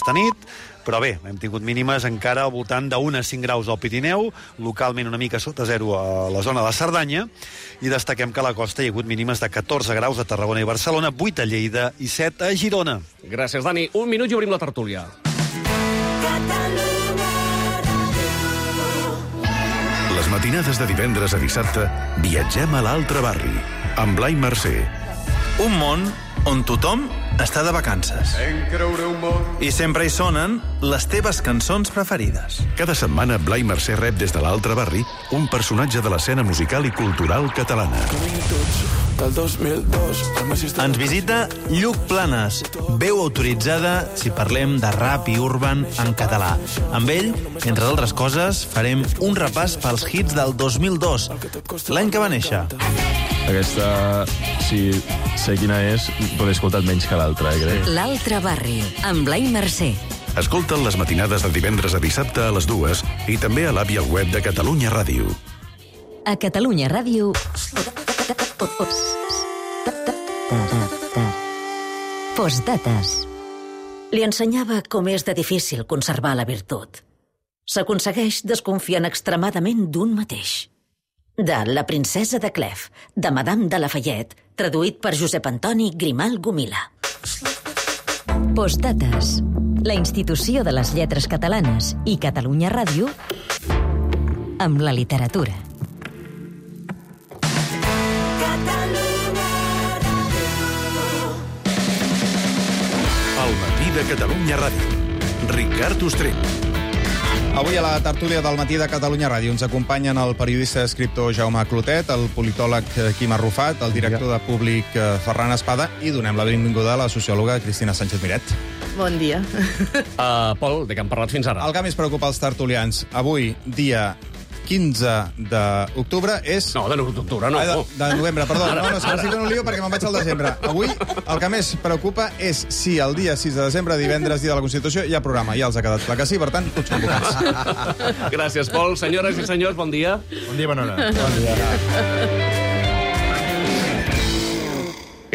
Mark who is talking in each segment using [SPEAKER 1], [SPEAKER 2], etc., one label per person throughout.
[SPEAKER 1] aquesta nit, però bé, hem tingut mínimes encara al voltant de 1 a 5 graus al Pirineu, localment una mica sota zero a la zona de Cerdanya, i destaquem que a la costa hi ha hagut mínimes de 14 graus a Tarragona i Barcelona, 8 a Lleida i 7 a Girona.
[SPEAKER 2] Gràcies, Dani. 1 minut i obrim la tertúlia.
[SPEAKER 3] Les matinades de divendres a dissabte viatgem a l'altre barri, amb Blai Mercè.
[SPEAKER 4] Un món on tothom està de vacances. I sempre hi sonen les teves cançons preferides.
[SPEAKER 3] Cada setmana Blai Mercè rep des de l'altre barri un personatge de l'escena musical i cultural catalana.
[SPEAKER 4] Ens visita Lluc Planes, veu autoritzada si parlem de rap i urban en català. Amb ell, entre d'altres coses, farem un repàs pels hits del 2002, l'any que va néixer.
[SPEAKER 5] Aquesta, si sé quina és, però l'he escoltat menys que l'altra, crec.
[SPEAKER 6] L'altre barri, amb Blai Mercè.
[SPEAKER 3] Escolta'l les matinades de divendres a dissabte a les 2 i també a l'app i al web de Catalunya Ràdio.
[SPEAKER 6] A Catalunya Ràdio... Postdates.
[SPEAKER 7] Li ensenyava com és de difícil conservar la virtut. S'aconsegueix desconfiant extremadament d'un mateix. De La princesa de Clef, de Madame de Lafayette, traduït per Josep Antoni Grimal Gomila.
[SPEAKER 6] Postdates. La institució de les lletres catalanes i Catalunya Ràdio amb la literatura.
[SPEAKER 3] El matí de Catalunya Ràdio. Ricard Ostrell.
[SPEAKER 8] Avui a la tertúlia del matí de Catalunya Ràdio ens acompanyen el periodista i escriptor Jaume Clotet, el politòleg Quim Arrufat, el director de Públic Ferran Espada i donem la benvinguda a la sociòloga Cristina Sánchez Miret.
[SPEAKER 9] Bon dia.
[SPEAKER 2] Pol, de què hem parlat fins ara?
[SPEAKER 8] El que més preocupa els tertulians avui, dia 15 d'octubre, és...
[SPEAKER 2] No, de d'octubre, no.
[SPEAKER 8] De novembre, perdó. No, és que m'estic en un lío perquè me'n vaig al desembre. Avui el que més preocupa és si el dia 6 de desembre, divendres, dia de la Constitució, hi ha programa. Ja els ha quedat clar que sí, per tant, tots convocats.
[SPEAKER 2] Gràcies, Pol. Senyores i senyors, bon dia.
[SPEAKER 5] Bon dia, bona hora.
[SPEAKER 8] Bon dia.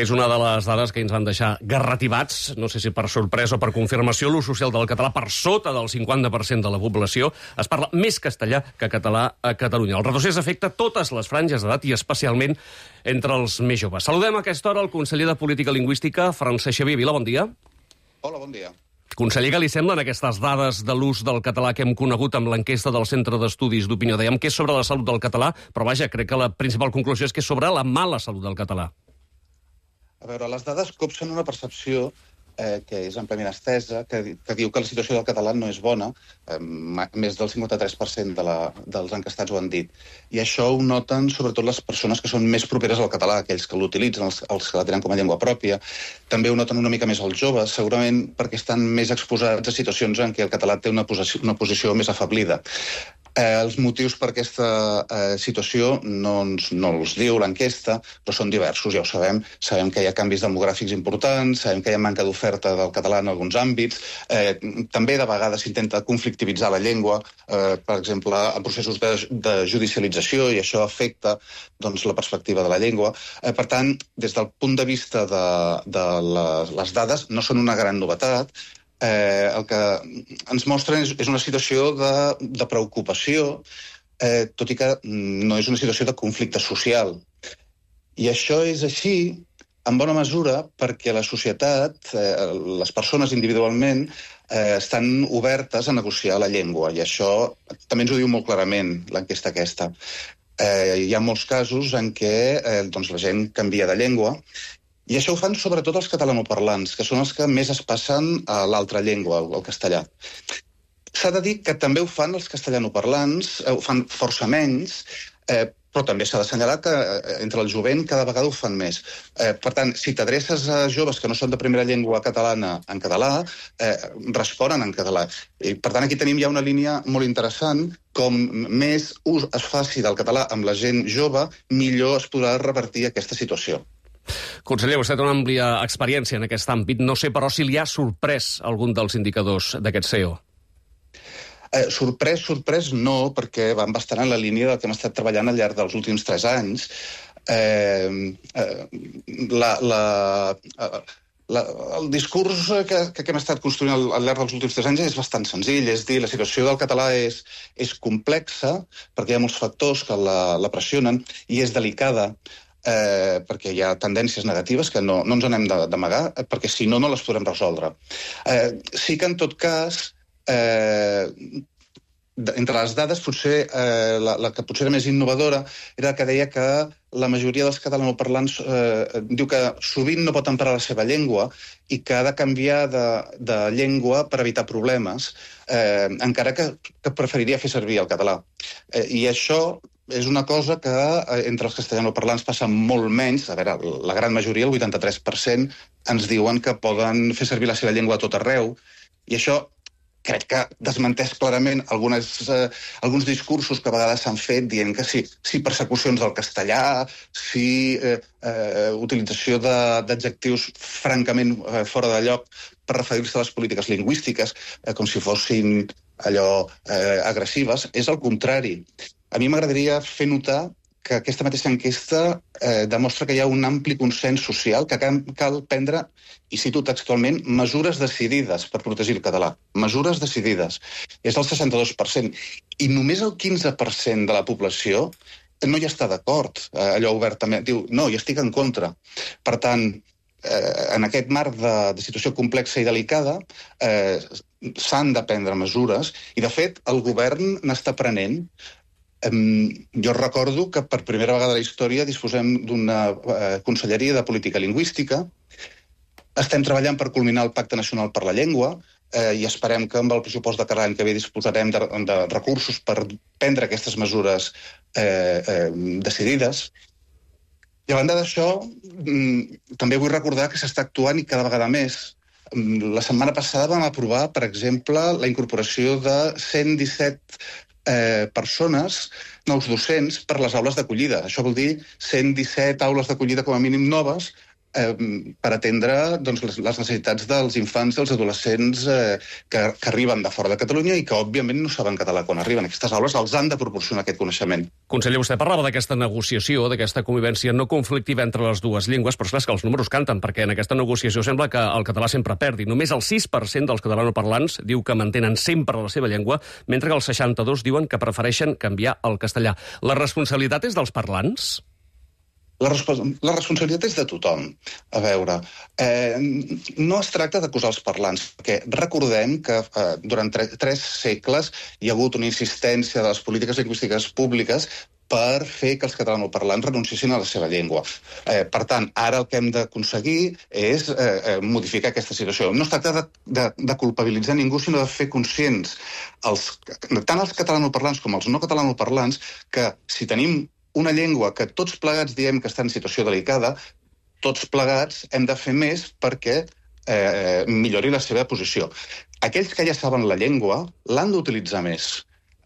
[SPEAKER 2] És una de les dades que ens van deixar garrativats, no sé si per sorpresa o per confirmació, l'ús social del català per sota del 50% de la població. Es parla més castellà que català a Catalunya. El retrocés afecta totes les franges d'edat i especialment entre els més joves. Saludem a aquesta hora el conseller de Política Lingüística, Francesc Xavier Vila. Bon dia.
[SPEAKER 10] Hola, bon dia.
[SPEAKER 2] Conseller, què li semblen aquestes dades de l'ús del català que hem conegut amb l'enquesta del Centre d'Estudis d'Opinió? Dèiem que és sobre la salut del català, però vaja, crec que la principal conclusió és que és sobre la mala salut del català.
[SPEAKER 10] A veure, les dades copsen una percepció que és àmpliament estesa, que diu que la situació del català no és bona. Més del 53% dels encastats ho han dit. I això ho noten sobretot les persones que són més properes al català, aquells que l'utilitzen, els que la tenen com a llengua pròpia. També ho noten una mica més els joves, segurament perquè estan més exposats a situacions en què el català té una posició més afablida. Els motius per aquesta situació no els diu l'enquesta, però són diversos, ja ho sabem. Sabem que hi ha canvis demogràfics importants, sabem que hi ha manca d'oferta del català en alguns àmbits, també de vegades s'intenta conflictivitzar la llengua, per exemple, en processos de judicialització, i això afecta la perspectiva de la llengua. Per tant, des del punt de vista de les dades, no són una gran novetat. El que ens mostren és una situació de preocupació, tot i que no és una situació de conflicte social. I això és així, en bona mesura, perquè la societat, les persones individualment, estan obertes a negociar la llengua, i això també ens ho diu molt clarament l'enquesta aquesta. Hi ha molts casos en què la gent canvia de llengua, i això ho fan sobretot els catalanoparlants, que són els que més es passen a l'altra llengua, al castellà. S'ha de dir que també ho fan els castellanoparlants, ho fan força menys, però també s'ha d'assenyalar que entre el jovent cada vegada ho fan més. Per tant, si t'adreces a joves que no són de primera llengua catalana en català, responen en català. I, per tant, aquí tenim ja una línia molt interessant. Com més ús es faci del català amb la gent jove, millor es podrà revertir aquesta situació.
[SPEAKER 2] Conseller, vostè té una àmplia experiència en aquest àmbit. No sé, però, si li ha sorprès algun dels indicadors d'aquest CEO.
[SPEAKER 10] Sorprès no, perquè van bastant en la línia del que hem estat treballant al llarg dels últims 3 anys. el discurs que hem estat construint al llarg dels últims 3 anys és bastant senzill, és dir, la situació del català és complexa, perquè hi ha molts factors que la pressionen, i és delicada, perquè hi ha tendències negatives que no ens en hem d'amagar, perquè si no, no les podrem resoldre. Sí que, en tot cas, entre les dades, potser la que potser era més innovadora era que deia que la majoria dels catalanoparlants diu que sovint no pot emprar la seva llengua i que ha de canviar de llengua per evitar problemes, encara que preferiria fer servir el català. I això és una cosa que entre els castellanoparlants passa molt menys. A veure, la gran majoria, el 83%, ens diuen que poden fer servir la seva llengua a tot arreu, i això crec que desmenteix clarament alguns discursos que a vegades s'han fet dient que sí persecucions del castellà, sí utilització d'adjectius francament fora de lloc per referir-se a les polítiques lingüístiques, com si fossin allò agressives. És el contrari. A mi m'agradaria fer notar que aquesta mateixa enquesta demostra que hi ha un ampli consens social que cal prendre, i cito textualment, mesures decidides per protegir el català. Mesures decidides. És el 62%. I només el 15% de la població no hi està d'acord. Allò obertament diu, no, hi estic en contra. Per tant, en aquest marc de situació complexa i delicada, s'han de prendre mesures, i de fet el govern n'està prenent. Jo recordo que per primera vegada a la història disposem d'una conselleria de política lingüística. Estem treballant per culminar el Pacte Nacional per la Llengua i esperem que amb el pressupost de cada any que ve disposarem de recursos per prendre aquestes mesures decidides. I a banda d'això, també vull recordar que s'està actuant i cada vegada més. La setmana passada vam aprovar, per exemple, la incorporació de 117 persones, nous docents, per les aules d'acollida. Això vol dir 117 aules d'acollida com a mínim noves per atendre les necessitats dels infants i els adolescents que arriben de fora de Catalunya i que, òbviament, no saben català quan arriben. Aquestes aules els han de proporcionar aquest coneixement.
[SPEAKER 2] Conseller, vostè parlava d'aquesta negociació, d'aquesta convivència no conflictiva entre les dues llengües, però és que els números canten, perquè en aquesta negociació sembla que el català sempre perdi. Només el 6% dels catalanoparlants diu que mantenen sempre la seva llengua, mentre que els 62% diuen que prefereixen canviar al castellà. La responsabilitat és dels parlants?
[SPEAKER 10] La responsabilitat és de tothom. A veure, no es tracta d'acusar els parlants, perquè recordem que durant 3 segles hi ha hagut una insistència de les polítiques lingüístiques públiques per fer que els catalanoparlants renunciessin a la seva llengua. Per tant, ara el que hem d'aconseguir és modificar aquesta situació. No es tracta de culpabilitzar ningú, sinó de fer conscients tant els catalanoparlants com els no catalanoparlants que si tenim una llengua que tots plegats diem que està en situació delicada, tots plegats hem de fer més perquè millori la seva posició. Aquells que ja saben la llengua l'han d'utilitzar més.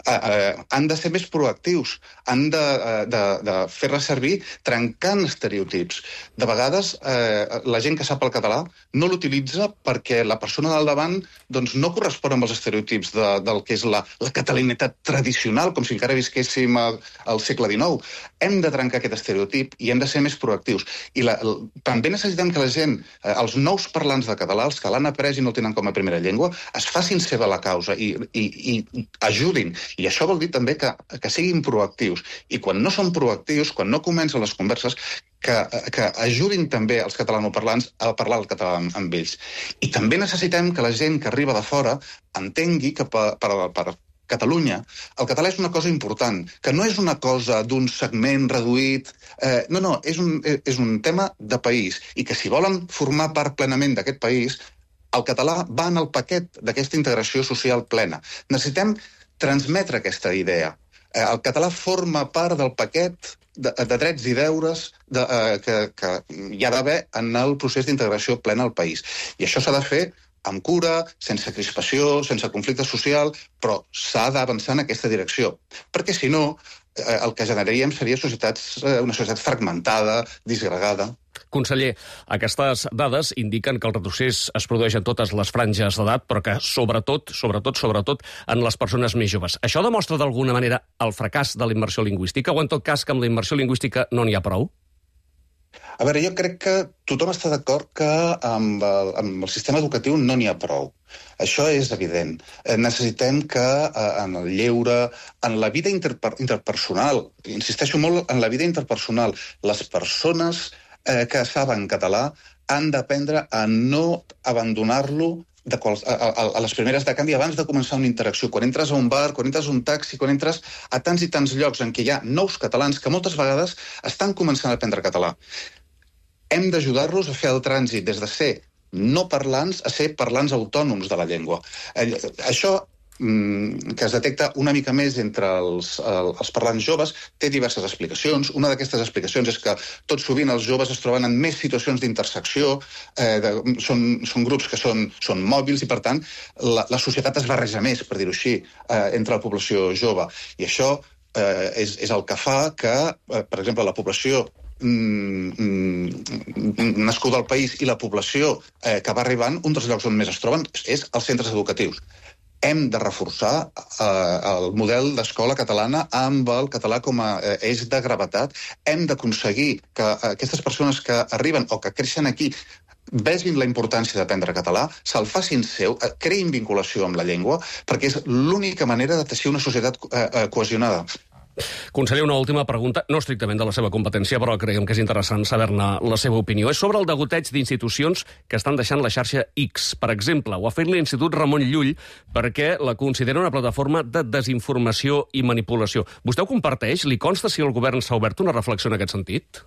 [SPEAKER 10] Han de ser més proactius, han de fer-la servir trencant estereotips. De vegades, la gent que sap el català no l'utilitza perquè la persona del davant no correspon amb els estereotips del que és la catalanitat tradicional, com si encara visquéssim al segle XIX. Hem de trencar aquest estereotip i hem de ser més proactius. I també necessitem que la gent, els nous parlants de català, els que l'han après i no el tenen com a primera llengua, es facin seva la causa i ajudin. I això vol dir també que siguin proactius. I quan no són proactius, quan no comencen les converses, que ajudin també els catalanoparlants a parlar el català amb ells. I també necessitem que la gent que arriba de fora entengui que per Catalunya el català és una cosa important, que no és una cosa d'un segment reduït. No, és un tema de país. I que si volen formar part plenament d'aquest país, el català va en el paquet d'aquesta integració social plena. Necessitem transmetre aquesta idea. El català forma part del paquet de drets i deures que hi ha d'haver en el procés d'integració plena al país. I això s'ha de fer amb cura, sense crispació, sense conflicte social, però s'ha d'avançar en aquesta direcció. Perquè, si no, el que generaríem seria una societat fragmentada, disgregada.
[SPEAKER 2] Conseller, aquestes dades indiquen que el retrocés es produeix en totes les franges d'edat, però que sobretot en les persones més joves. Això demostra d'alguna manera el fracàs de la immersió lingüística, o en tot cas que amb la immersió lingüística no n'hi ha prou?
[SPEAKER 10] A veure, jo crec que tothom està d'acord que amb el sistema educatiu no n'hi ha prou. Això és evident. Necessitem que en el lleure, en la vida interpersonal, insisteixo molt en la vida interpersonal, les persones que saben català han d'aprendre a no abandonar-lo a les primeres de canvi abans de començar una interacció. Quan entres a un bar, quan entres a un taxi, quan entres a tants i tants llocs en què hi ha nous catalans que moltes vegades estan començant a aprendre català. Hem d'ajudar-los a fer el trànsit des de ser no parlants a ser parlants autònoms de la llengua. Això, que es detecta una mica més entre els parlants joves, té diverses explicacions. Una d'aquestes explicacions és que tot sovint els joves es troben en més situacions d'intersecció, són grups que són mòbils i, per tant, la societat es barreja més, per dir-ho així, entre la població jove. I això és el que fa que, per exemple, la població nascuda al país i la població que va arribant, un dels llocs on més es troben és els centres educatius. Hem de reforçar el model d'escola catalana amb el català com a eix de gravetat. Hem d'aconseguir que aquestes persones que arriben o que creixen aquí vegin la importància d'aprendre català, se'l facin seu, creïn vinculació amb la llengua, perquè és l'única manera de teixir una societat cohesionada.
[SPEAKER 2] Conseller, una última pregunta, no estrictament de la seva competència, però creiem que és interessant saber-ne la seva opinió. És sobre el degoteig d'institucions que estan deixant la xarxa X. Per exemple, ho ha fet l'Institut Ramon Llull perquè la considera una plataforma de desinformació i manipulació. Vostè ho comparteix? Li consta si el govern s'ha obert una reflexió en aquest sentit?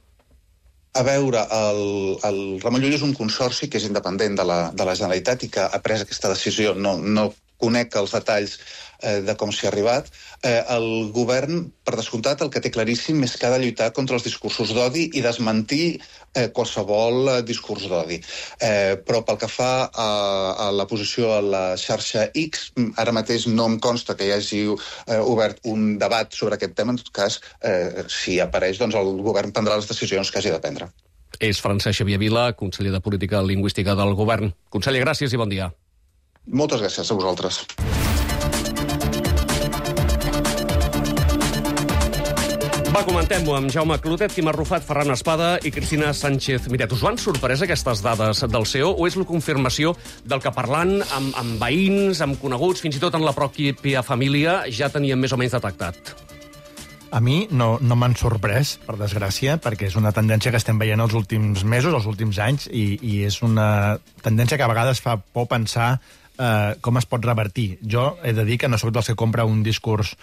[SPEAKER 10] A veure, el Ramon Llull és un consorci que és independent de la Generalitat i que ha pres aquesta decisió. No conec els detalls de com s'hi ha arribat. El govern, per descomptat, el que té claríssim és que ha de lluitar contra els discursos d'odi i desmentir qualsevol discurs d'odi. Però pel que fa a la posició a la xarxa X, ara mateix no em consta que hi hagi obert un debat sobre aquest tema. En tot cas, si apareix, doncs el govern prendrà les decisions que hagi de prendre.
[SPEAKER 2] És Francesc Xavier Vila, conseller de Política Lingüística del Govern. Conseller, gràcies i bon dia.
[SPEAKER 10] Moltes gràcies a vosaltres.
[SPEAKER 2] Va, comentem-ho amb Jaume Clotet, Quim Arrufat, Ferran Espada i Cristina Sánchez Miret. Us van sorprès aquestes dades del CEO o és la confirmació del que parlant amb veïns, amb coneguts, fins i tot en la pròpia família, ja teníem més o menys detectat?
[SPEAKER 9] A mi no m'han sorprès, per desgràcia, perquè és una tendència que estem veient els últims mesos, els últims anys, i és una tendència que a vegades fa por pensar com es pot revertir. Jo he de dir que no sóc dels que compra un discurs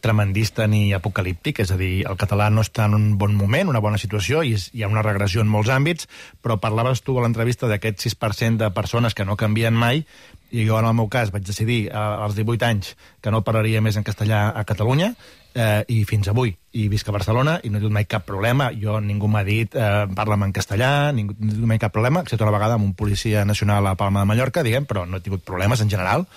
[SPEAKER 9] tremendista ni apocalíptic, és a dir, el català no està en un bon moment, una bona situació, i hi ha una regressió en molts àmbits, però parlaves tu a l'entrevista d'aquest 6% de persones que no canvien mai, i jo en el meu cas vaig decidir als 18 anys que no parlaria més en castellà a Catalunya, i fins avui. I visc a Barcelona i no he tingut mai cap problema. Ningú m'ha dit parla'm en castellà, no he tingut mai cap problema, excepte una vegada amb un policia nacional a Palma de Mallorca, diguem, però no he tingut problemes en general.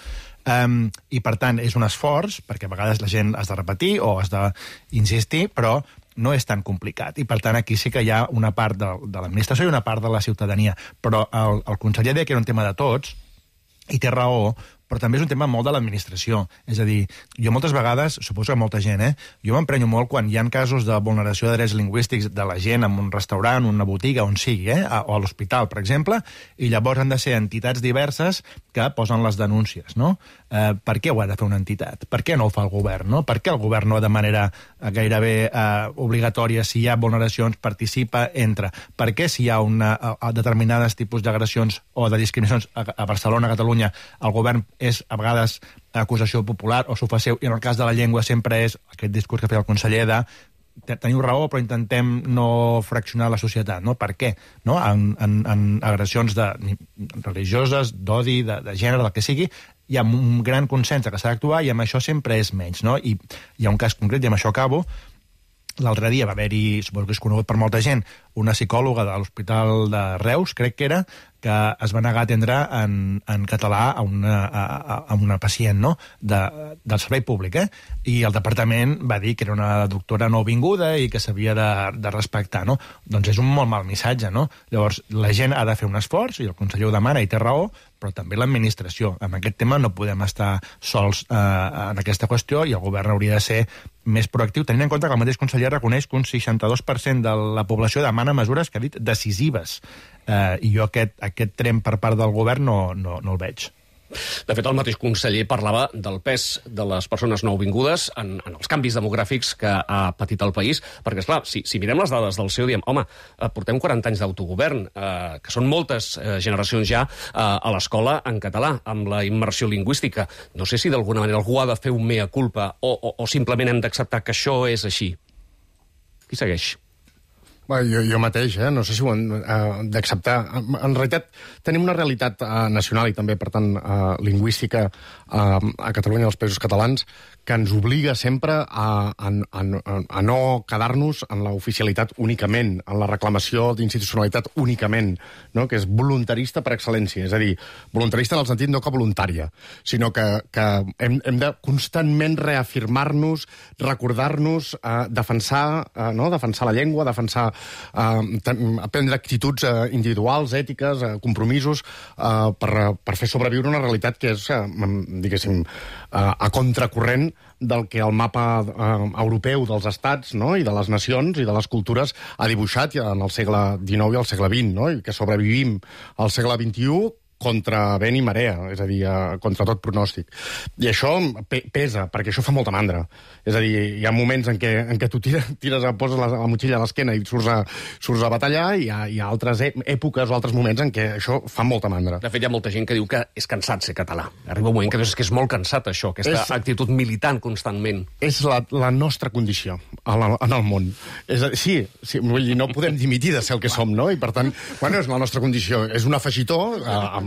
[SPEAKER 9] I, per tant, és un esforç, perquè a vegades la gent has de repetir o has d'insistir, però no és tan complicat. I, per tant, aquí sí que hi ha una part de l'administració i una part de la ciutadania. Però el conseller deia que era un tema de tots, i té raó, però també és un tema molt de l'administració. És a dir, jo moltes vegades, suposo que molta gent, jo m'emprenyo molt quan hi ha casos de vulneració de drets lingüístics de la gent en un restaurant, una botiga, on sigui, o a l'hospital, per exemple, i llavors han de ser entitats diverses que posen les denúncies, no? Per què ho ha de fer una entitat? Per què no ho fa el govern, no? Per què el govern no de manera gairebé obligatòria, si hi ha vulneracions, participa, entra? Per què si hi ha determinades tipus d'agressions o de discriminacions a Barcelona, a Catalunya, el govern és a vegades acusació popular o s'ho fa seu, i en el cas de la llengua sempre és aquest discurs que feia el conseller de teniu raó, però intentem no fraccionar la societat, no? Per què? No? En agressions religioses, d'odi, de gènere, del que sigui, hi ha un gran consens que s'ha d'actuar i amb això sempre és menys, no? I hi ha un cas concret, i amb això acabo. L'altre dia va haver-hi, suposo que és conegut per molta gent, una psicòloga de l'Hospital de Reus, crec que era, que es va negar a atendre en català a una pacient, no? Del servei públic, I el departament va dir que era una doctora nouvinguda i que s'havia de respectar, no? Doncs és un molt mal missatge, no? Llavors, la gent ha de fer un esforç, i el conseller ho demana, i té raó, però també l'administració. En aquest tema no podem estar sols en aquesta qüestió, i el govern hauria de ser més proactiu, tenint en compte que el mateix conseller reconeix que un 62% de la població demana demana mesures, que ha dit, decisives. I jo aquest tren per part del govern no el veig.
[SPEAKER 2] De fet, el mateix conseller parlava del pes de les persones nouvingudes en els canvis demogràfics que ha patit el país, perquè, esclar, si mirem les dades del CEO, diem, home, portem 40 anys d'autogovern, que són moltes generacions ja a l'escola en català, amb la immersió lingüística. No sé si d'alguna manera algú ha de fer un mea culpa o simplement hem d'acceptar que això és així. Qui segueix?
[SPEAKER 11] Jo mateix, no sé si ho hem d'acceptar. En realitat, tenim una realitat nacional i també, per tant, lingüística a Catalunya i als Països Catalans que ens obliga sempre a no quedar-nos en l'oficialitat únicament, en la reclamació d'institucionalitat únicament, no? Que és voluntarista per excel·lència. És a dir, voluntarista en el sentit no que voluntària, sinó que hem de constantment reafirmar-nos, recordar-nos, defensar la llengua, prendre actituds individuals, ètiques, compromisos, per fer sobreviure una realitat que és, diguéssim, a contracorrent del que el mapa europeu dels estats, no? I de les nacions i de les cultures ha dibuixat en el segle XIX i el segle XX, no? I que sobrevivim al segle XXI contra vent i marea, és a dir, contra tot pronòstic. I això pesa, perquè això fa molta mandra. És a dir, hi ha moments en què tu poses la motxilla a l'esquena i surts a batallar, i hi ha altres èpoques o altres moments en què això fa molta mandra.
[SPEAKER 2] De fet, hi ha molta gent que diu que és cansat ser català. Arriba un moment que dius que és molt cansat, això, aquesta actitud militant constantment.
[SPEAKER 11] És la nostra condició en el món. Sí, vull dir, no podem dimitir de ser el que som, no? I, per tant, és la nostra condició. És un afegitó,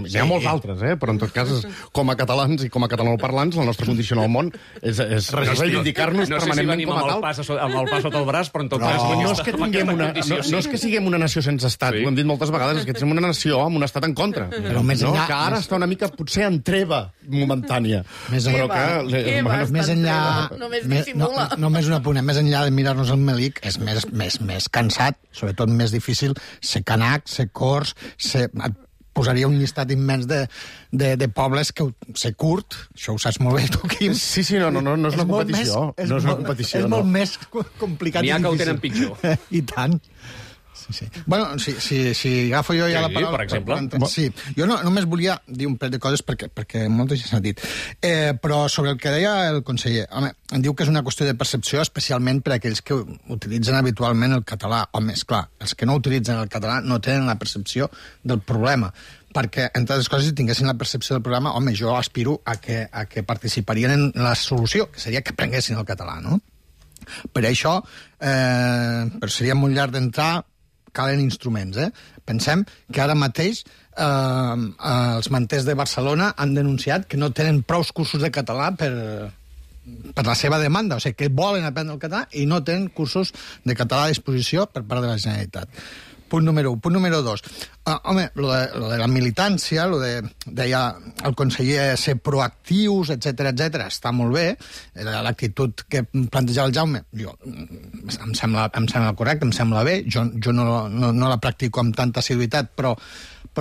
[SPEAKER 11] hi ha molts altres, però en tot cas, com a catalans i com a catalanoparlants, la nostra condició en el món és reivindicar-nos permanentment com a tal.
[SPEAKER 2] No sé si venim amb el pa sota el braç, però en tot cas...
[SPEAKER 11] No és que siguem una nació sense estat, ho hem dit moltes vegades, és que som una nació amb un estat en contra.
[SPEAKER 12] Però més enllà...
[SPEAKER 11] Que ara està una mica, potser, en treva momentània.
[SPEAKER 12] Més enllà... Només un apunt, més enllà de mirar-nos el melic, és més cansat, sobretot més difícil, ser canac, ser cors, posaria un llistat immens de pobles que ser curt, això ho saps molt bé tu, Quim.
[SPEAKER 11] Sí, no és una competició. No és una competició,
[SPEAKER 12] és molt més complicat i difícil.
[SPEAKER 2] N'hi ha que ho tenen pitjor.
[SPEAKER 12] I tant. Sí. Bueno, si agafo jo ja la paraula...
[SPEAKER 2] per exemple.
[SPEAKER 12] Sí, jo només volia dir un parell de coses perquè molta gent s'ha dit. Però sobre el que deia el conseller, home, em diu que és una qüestió de percepció, especialment per a aquells que utilitzen habitualment el català. Home, esclar, els que no utilitzen el català no tenen la percepció del problema. Perquè, entre altres coses, si tinguessin la percepció del programa, home, jo aspiro a que participarien en la solució, que seria que aprenguessin el català, no? Per això, però seria molt llarg d'entrar, calen instruments, Pensem que ara mateix els manters de Barcelona han denunciat que no tenen prous cursos de català per la seva demanda, o sigui, que volen aprendre el català i no tenen cursos de català a disposició per part de la Generalitat. Punt número 1. Punt número 2. Home, lo de la militància, deia el conseller ser proactius, etc, està molt bé. L'actitud que plantejava el Jaume, em sembla correcte, em sembla bé. Jo no la practico amb tanta assiduïtat, però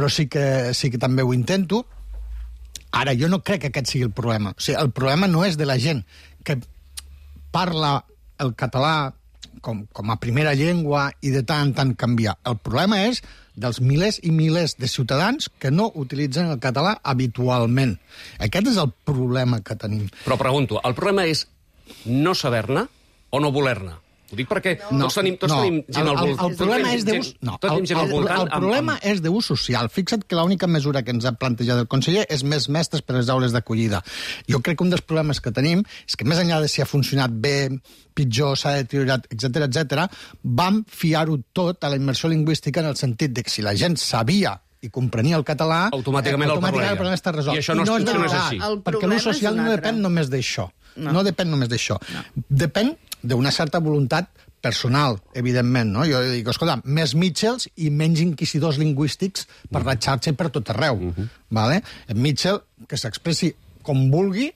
[SPEAKER 12] sí que també ho intento. Ara, jo no crec que aquest sigui el problema. O sigui, el problema no és de la gent que parla el català com a primera llengua i de tant en tant canviar. El problema és dels milers i milers de ciutadans que no utilitzen el català habitualment. Aquest és el problema que tenim.
[SPEAKER 2] Però pregunto, el problema és no saber-ne o no voler-ne? Ho dic perquè tots tenim gent al voltant.
[SPEAKER 12] El problema és d'ús... El problema és d'ús social. Fixa't que l'única mesura que ens ha plantejat el conseller és més mestres per a les aules d'acollida. Jo crec que un dels problemes que tenim és que més enllà de si ha funcionat bé, pitjor, s'ha deteriorat, etc, vam fiar-ho tot a la immersió lingüística en el sentit de que si la gent sabia i comprenia el català,
[SPEAKER 2] automàticament el
[SPEAKER 12] problema està resolt.
[SPEAKER 2] I això no és així.
[SPEAKER 12] Perquè l'ús social no depèn només d'això. No depèn només d'això. Depèn d'una certa voluntat personal, evidentment, no? Jo dic, escolta, més Mitchells i menys inquisidors lingüístics per la xarxa i per tot arreu. Vale? En Mitchell, que s'expressi com vulgui,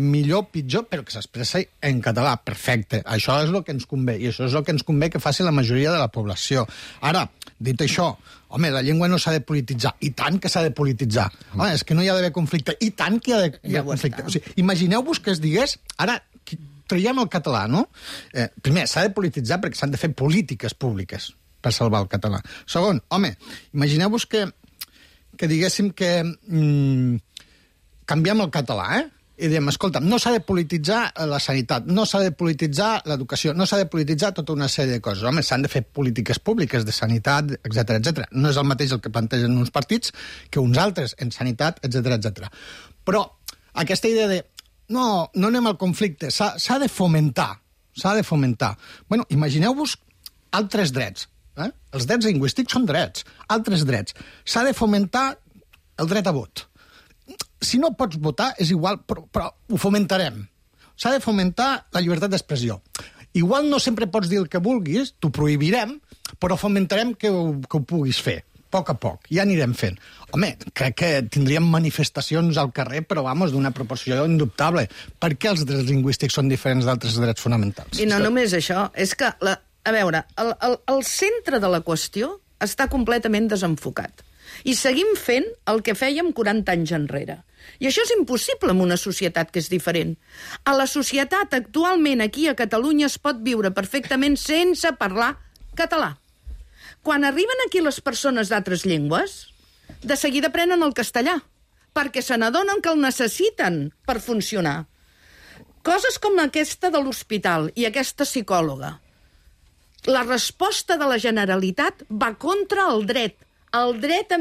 [SPEAKER 12] millor, pitjor, però que s'expressi en català. Perfecte. Això és el que ens convé, i això és el que ens convé que faci la majoria de la població. Ara, dit això, home, la llengua no s'ha de polititzar. I tant que s'ha de polititzar. Home, és que no hi ha d'haver conflicte. I tant que hi ha d'haver conflicte. O sigui, imagineu-vos que es digués... Ara, traiem el català, no? Primer, s'ha de polititzar perquè s'han de fer polítiques públiques. per salvar el català. Segon, home, imagineu-vos que diguéssim que canviem el català, i diem, escolta, no s'ha de polititzar la sanitat, no s'ha de polititzar l'educació, no s'ha de polititzar tota una sèrie de coses. Home, s'han de fer polítiques públiques de sanitat, etc. No és el mateix el que plantegen uns partits que uns altres en sanitat, etc. Però aquesta idea de no anem al conflicte, s'ha de fomentar. Bueno, imagineu-vos altres drets. Els drets lingüístics són drets. Altres drets. S'ha de fomentar el dret a vot. Si no pots votar, és igual, però ho fomentarem. S'ha de fomentar la llibertat d'expressió. Igual no sempre pots dir el que vulguis, t'ho prohibirem, però fomentarem que ho puguis fer, a poc. Ja anirem fent. Home, crec que tindríem manifestacions al carrer, però, d'una proporció indubtable. Per què els drets lingüístics són diferents d'altres drets fonamentals?
[SPEAKER 13] I no només això, és que, a veure, el centre de la qüestió està completament desenfocat. I seguim fent el que fèiem 40 anys enrere. I això és impossible en una societat que és diferent. A la societat actualment aquí a Catalunya es pot viure perfectament sense parlar català. Quan arriben aquí les persones d'altres llengües, de seguida prenen el castellà, perquè se n'adonen que el necessiten per funcionar. Coses com aquesta de l'hospital i aquesta psicòloga. La resposta de la Generalitat va contra el dret, a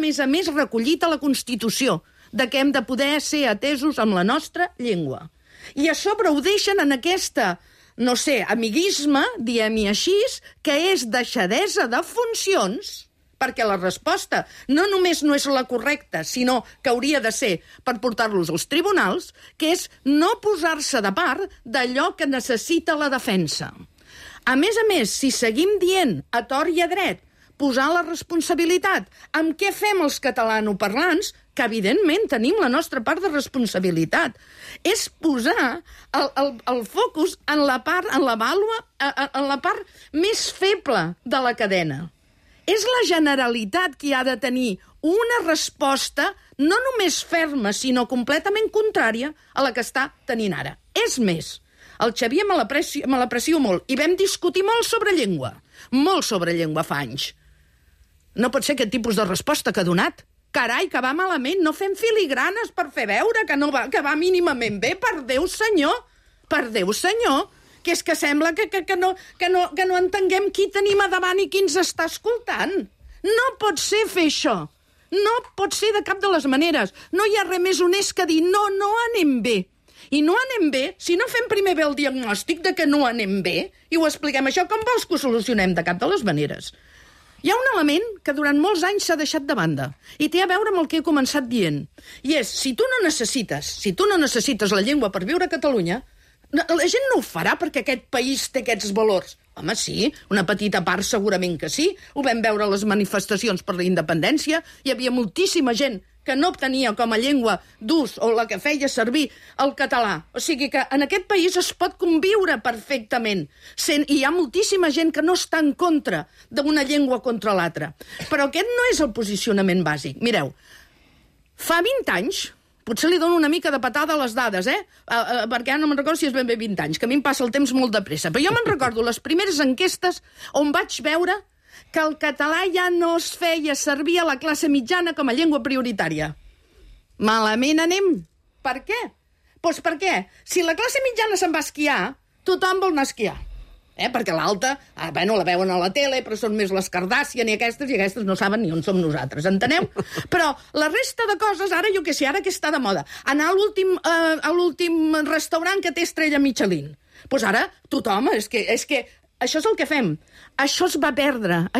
[SPEAKER 13] més, recollit a la Constitució, de que hem de poder ser atesos amb la nostra llengua. I a sobre ho deixen en aquesta, amiguisme, diem-hi així, que és deixadesa de funcions, perquè la resposta no només no és la correcta, sinó que hauria de ser per portar-los als tribunals, que és no posar-se de part d'allò que necessita la defensa. A més, si seguim dient a tort i a dret, posar la responsabilitat amb què fem els catalanoparlants, que evidentment tenim la nostra part de responsabilitat, és posar el focus en la part més feble de la cadena. És la Generalitat qui ha de tenir una resposta no només ferma, sinó completament contrària a la que està tenint ara. És més, el Xavier me l'aprecio molt, i vam discutir molt sobre llengua fa anys. No pot ser aquest tipus de resposta que ha donat. Carai, que va malament, no fem filigranes per fer veure que va mínimament bé, per Déu senyor, que és que sembla que no entenguem qui tenim a davant i qui ens està escoltant. No pot ser fer això, no pot ser de cap de les maneres. No hi ha res més honest que dir no anem bé. I no anem bé si no fem primer bé el diagnòstic de que no anem bé i ho expliquem. Això com vols que ho solucionem? De cap de les maneres. Hi ha un element que durant molts anys s'ha deixat de banda i té a veure amb el que he començat dient. I és, si tu no necessites la llengua per viure a Catalunya, la gent no ho farà perquè aquest país té aquests valors. Home, sí, una petita part segurament que sí. Ho vam veure a les manifestacions per la independència. Hi havia moltíssima gent que no obtenia com a llengua d'ús o la que feia servir el català. O sigui que en aquest país es pot conviure perfectament. I hi ha moltíssima gent que no està en contra d'una llengua contra l'altra. Però aquest no és el posicionament bàsic. Mireu, fa 20 anys, potser li dono una mica de patada a les dades, perquè ara no me'n recordo si és ben bé 20 anys, que a mi em passa el temps molt de pressa. Però jo me'n recordo les primeres enquestes on vaig veure que el català ja no es feia servir a la classe mitjana com a llengua prioritària. Malament anem. Per què? Doncs perquè si la classe mitjana se'n va a esquiar, tothom vol anar a esquiar. Perquè l'alta, la veuen a la tele, però són més les Kardashian i aquestes no saben ni on som nosaltres, enteneu? Però la resta de coses, ara jo què sé, ara que està de moda, anar a l'últim restaurant que té estrella Michelin. Doncs ara tothom, és que això és el que fem. Això es va perdre,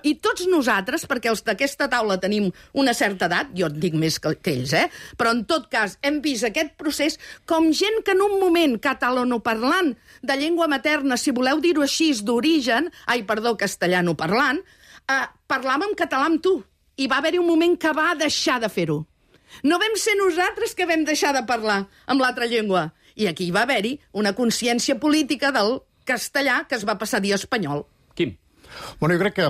[SPEAKER 13] i tots nosaltres, perquè els d'aquesta taula tenim una certa edat, jo en dic més que ells, però en tot cas hem vist aquest procés com gent que en un moment catalanoparlant de llengua materna, si voleu dir-ho així, d'origen, castellanoparlant, parlava en català amb tu, i va haver-hi un moment que va deixar de fer-ho. No vam ser nosaltres que vam deixar de parlar amb l'altra llengua, i aquí va haver-hi una consciència política del castellà que es va passar a dir espanyol.
[SPEAKER 2] Quim.
[SPEAKER 11] Bueno, jo crec que,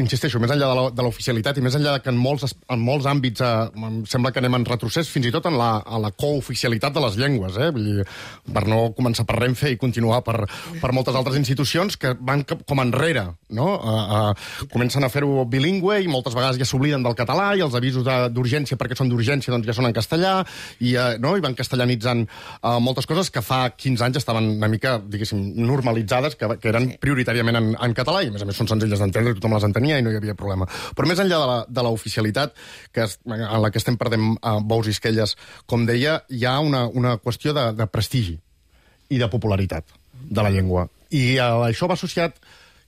[SPEAKER 11] insisteixo, més enllà de l'oficialitat i més enllà que en molts àmbits em sembla que anem en retrocés, fins i tot en la cooficialitat de les llengües, vull dir, per no començar per Renfe i continuar per moltes altres institucions que van com enrere, no? Comencen a fer-ho bilingüe i moltes vegades ja s'obliden del català i els avisos d'urgència perquè són d'urgència doncs ja són en castellà i van castellanitzant moltes coses que fa 15 anys estaven una mica, diguéssim, normalitzades, que eren prioritàriament en català, i a més són senzilles d'entendre, tothom les entenia i no hi havia problema. Però més enllà de l'oficialitat, en la que estem perdent bous i esquelles, com deia, hi ha una qüestió de prestigi i de popularitat de la llengua. I això va associat,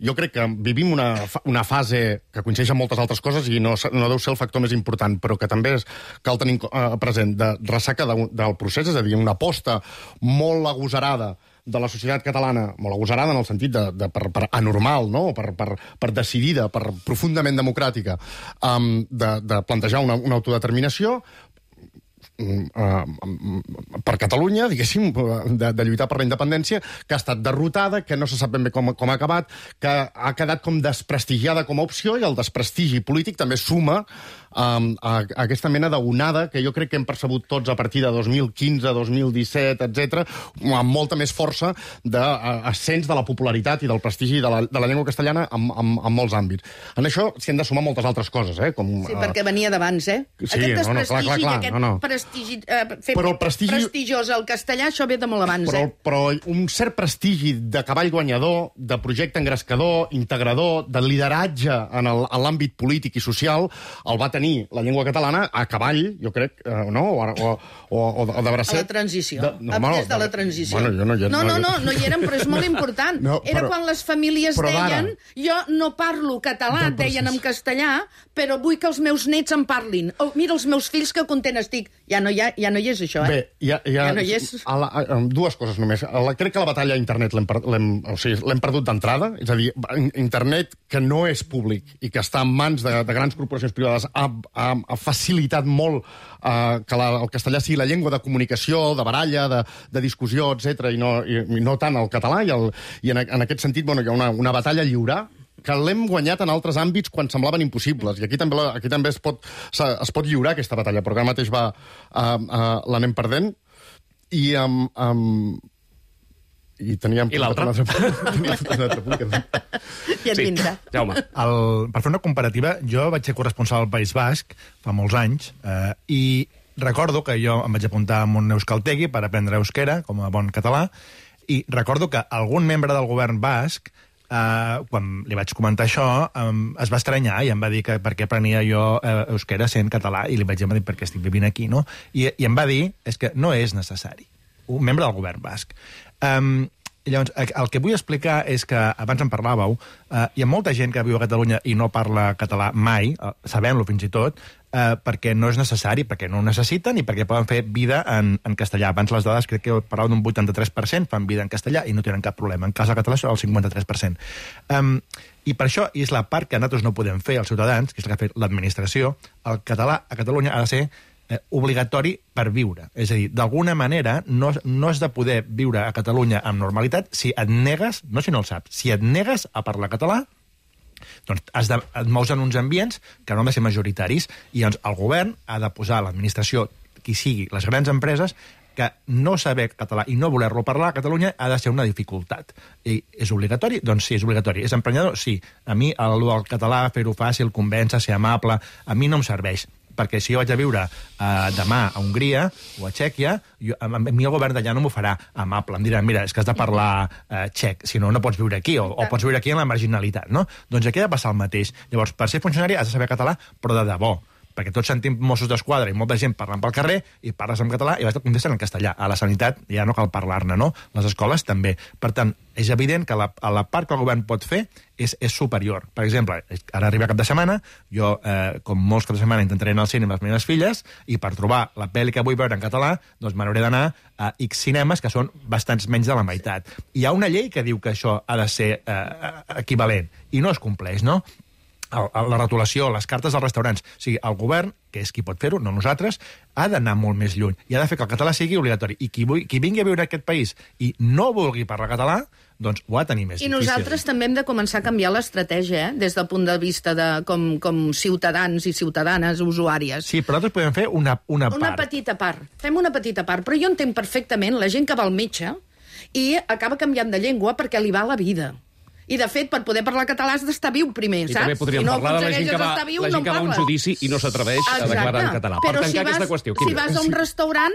[SPEAKER 11] jo crec que vivim una fase que coincideix amb moltes altres coses i no deu ser el factor més important, però que també cal tenir present, de ressaca del procés, és a dir, una aposta molt agosarada de la societat catalana, molt agosarada en el sentit per anormal, no? per decidida, per profundament democràtica, de plantejar una autodeterminació per Catalunya, diguéssim, de lluitar per la independència, que ha estat derrotada, que no se sap ben bé com ha acabat, que ha quedat com desprestigiada com a opció, i el desprestigi polític també suma a aquesta mena d'onada que jo crec que hem percebut tots a partir de 2015, 2017, etc, amb molta més força d'ascens de la popularitat i del prestigi de la llengua castellana en molts àmbits. En això s'hi han de sumar moltes altres coses,
[SPEAKER 13] Sí, perquè venia d'abans,
[SPEAKER 11] Sí,
[SPEAKER 13] aquest desprestigi, fer prestigiós el castellà, això ve de molt abans,
[SPEAKER 11] Però un cert prestigi de cavall guanyador, de projecte engrescador, integrador, de lideratge en l'àmbit polític i social, el va tenir la llengua catalana a cavall, jo crec, no? O de bracet.
[SPEAKER 13] A la transició. Des de la transició.
[SPEAKER 11] No
[SPEAKER 13] hi érem, però és molt important. Era quan les famílies deien jo no parlo català, deien en castellà, però vull que els meus nets en parlin. Mira, els meus fills que content estic. Ja no hi és això,
[SPEAKER 11] Bé, ja no hi és. Dues coses només. Crec que la batalla a internet l'hem perdut d'entrada, és a dir, internet que no és públic i que està en mans de grans corporacions privades ha facilitat molt que el castellà sigui la llengua de comunicació, de baralla, de discussió, etc, i no tant el català, i en aquest sentit hi ha una batalla a lliurar que l'hem guanyat en altres àmbits quan semblaven impossibles. I aquí també es pot lliurar aquesta batalla, però ara mateix l'anem perdent. I teníem...
[SPEAKER 2] I l'altre?
[SPEAKER 13] Ja et vindrà.
[SPEAKER 2] Jaume.
[SPEAKER 9] Per fer una comparativa, jo vaig ser corresponsal al País Basc fa molts anys i recordo que jo em vaig apuntar a un euskaltegi per aprendre euskera, com a bon català, i recordo que algun membre del govern basc, quan li vaig comentar això, es va estranyar i em va dir que per què aprenia jo euskera sent català, i li vaig dir perquè estic vivint aquí, no? I em va dir és que no és necessari. Un membre del govern basc. Llavors, el que vull explicar és que, abans en parlàveu, hi ha molta gent que viu a Catalunya i no parla català mai, sabem-lo fins i tot, perquè no és necessari, perquè no ho necessiten i perquè poden fer vida en castellà. Abans les dades crec que parlaven d'un 83% fan vida en castellà i no tenen cap problema. En cas de català són el 53%. I per això, i és la part que nosaltres no podem fer, els ciutadans, que és la que ha fet l'administració, el català a Catalunya ha de ser obligatori per viure. És a dir, d'alguna manera no has de poder viure a Catalunya amb normalitat si et negues, no si no el saps, si et negues a parlar català, doncs et mous en uns ambients que no han de ser majoritaris, i llavors el govern ha de posar a l'administració, qui sigui, les grans empreses, que no saber català i no voler-lo parlar a Catalunya ha de ser una dificultat. I és obligatori? Doncs sí, és obligatori. És emprenyador? Sí. A mi el català, fer-ho fàcil, convèncer, ser amable, a mi no em serveix. Perquè si jo vaig a viure demà a Hongria o a Txèquia, a mi el govern d'allà no m'ho farà amable. Em diran, mira, és que has de parlar txec, si no, no pots viure aquí, o pots viure aquí en la marginalitat, no? Doncs aquí ha de passar el mateix. Llavors, per ser funcionari has de saber català, però de debò. Perquè tots sentim Mossos d'Esquadra i molta gent parlant pel carrer i parles en català i vas contesten en castellà. A la sanitat ja no cal parlar-ne, no? Les escoles també. Per tant, és evident que la part que el govern pot fer és superior. Per exemple, ara arriba cap de setmana, jo, com molts caps de setmana, intentaré anar al cine amb les meves filles i per trobar la pel·li que vull veure en català, doncs me n'hauré d'anar a X cinemes, que són bastants menys de la meitat. Hi ha una llei que diu que això ha de ser equivalent i no es compleix, no? la retolació, les cartes dels restaurants. O sigui, el govern, que és qui pot fer-ho, no nosaltres, ha d'anar molt més lluny i ha de fer que el català sigui obligatori. I qui vingui a viure a aquest país i no vulgui parlar català, doncs ho ha de tenir més difícil.
[SPEAKER 13] I nosaltres també hem de començar a canviar l'estratègia, des del punt de vista de com ciutadans i ciutadanes usuàries.
[SPEAKER 9] Sí, però nosaltres podem fer una part.
[SPEAKER 13] Una petita part. Fem una petita part. Però jo entenc perfectament la gent que va al metge i acaba canviant de llengua perquè li va la vida. I, de fet, per poder parlar català has d'estar viu primer, saps?
[SPEAKER 2] I també podríem parlar de la gent que va a un judici i no s'atreveix a declarar en català. Per tancar aquesta qüestió.
[SPEAKER 13] Si vas a un restaurant,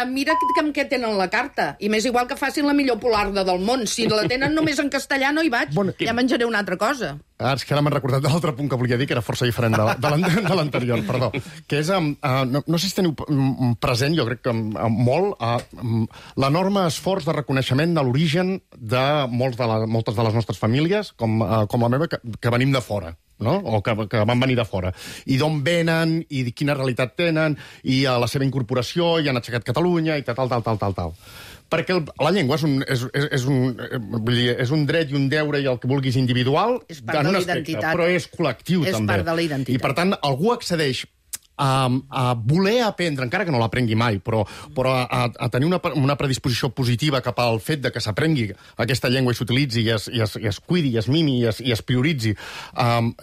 [SPEAKER 13] mira amb què tenen la carta. I m'és igual que facin la millor polarda del món. Si la tenen només en castellà no hi vaig. Ja menjaré una altra cosa.
[SPEAKER 11] És que ara m'han recordat de l'altre punt que volia dir, que era força diferent de l'anterior, perdó. Que és, no sé si teniu present, jo crec que molt, l'enorme esforç de reconeixement de l'origen de moltes de les nostres famílies, com la meva, que venim de fora. No? O que van venir de fora. I d'on venen, i quina realitat tenen, i a la seva incorporació, i han aixecat Catalunya, i tal. Perquè la llengua és un dret i un deure i el que vulguis individual,
[SPEAKER 13] és part de la identitat.
[SPEAKER 11] però és col·lectiu també.
[SPEAKER 13] És part de la identitat.
[SPEAKER 11] I per tant, algú accedeix a voler aprendre, encara que no l'aprengui mai, però a tenir una predisposició positiva cap al fet de que s'aprengui aquesta llengua i s'utilitzi i es cuidi, i es mimi i es prioritzi,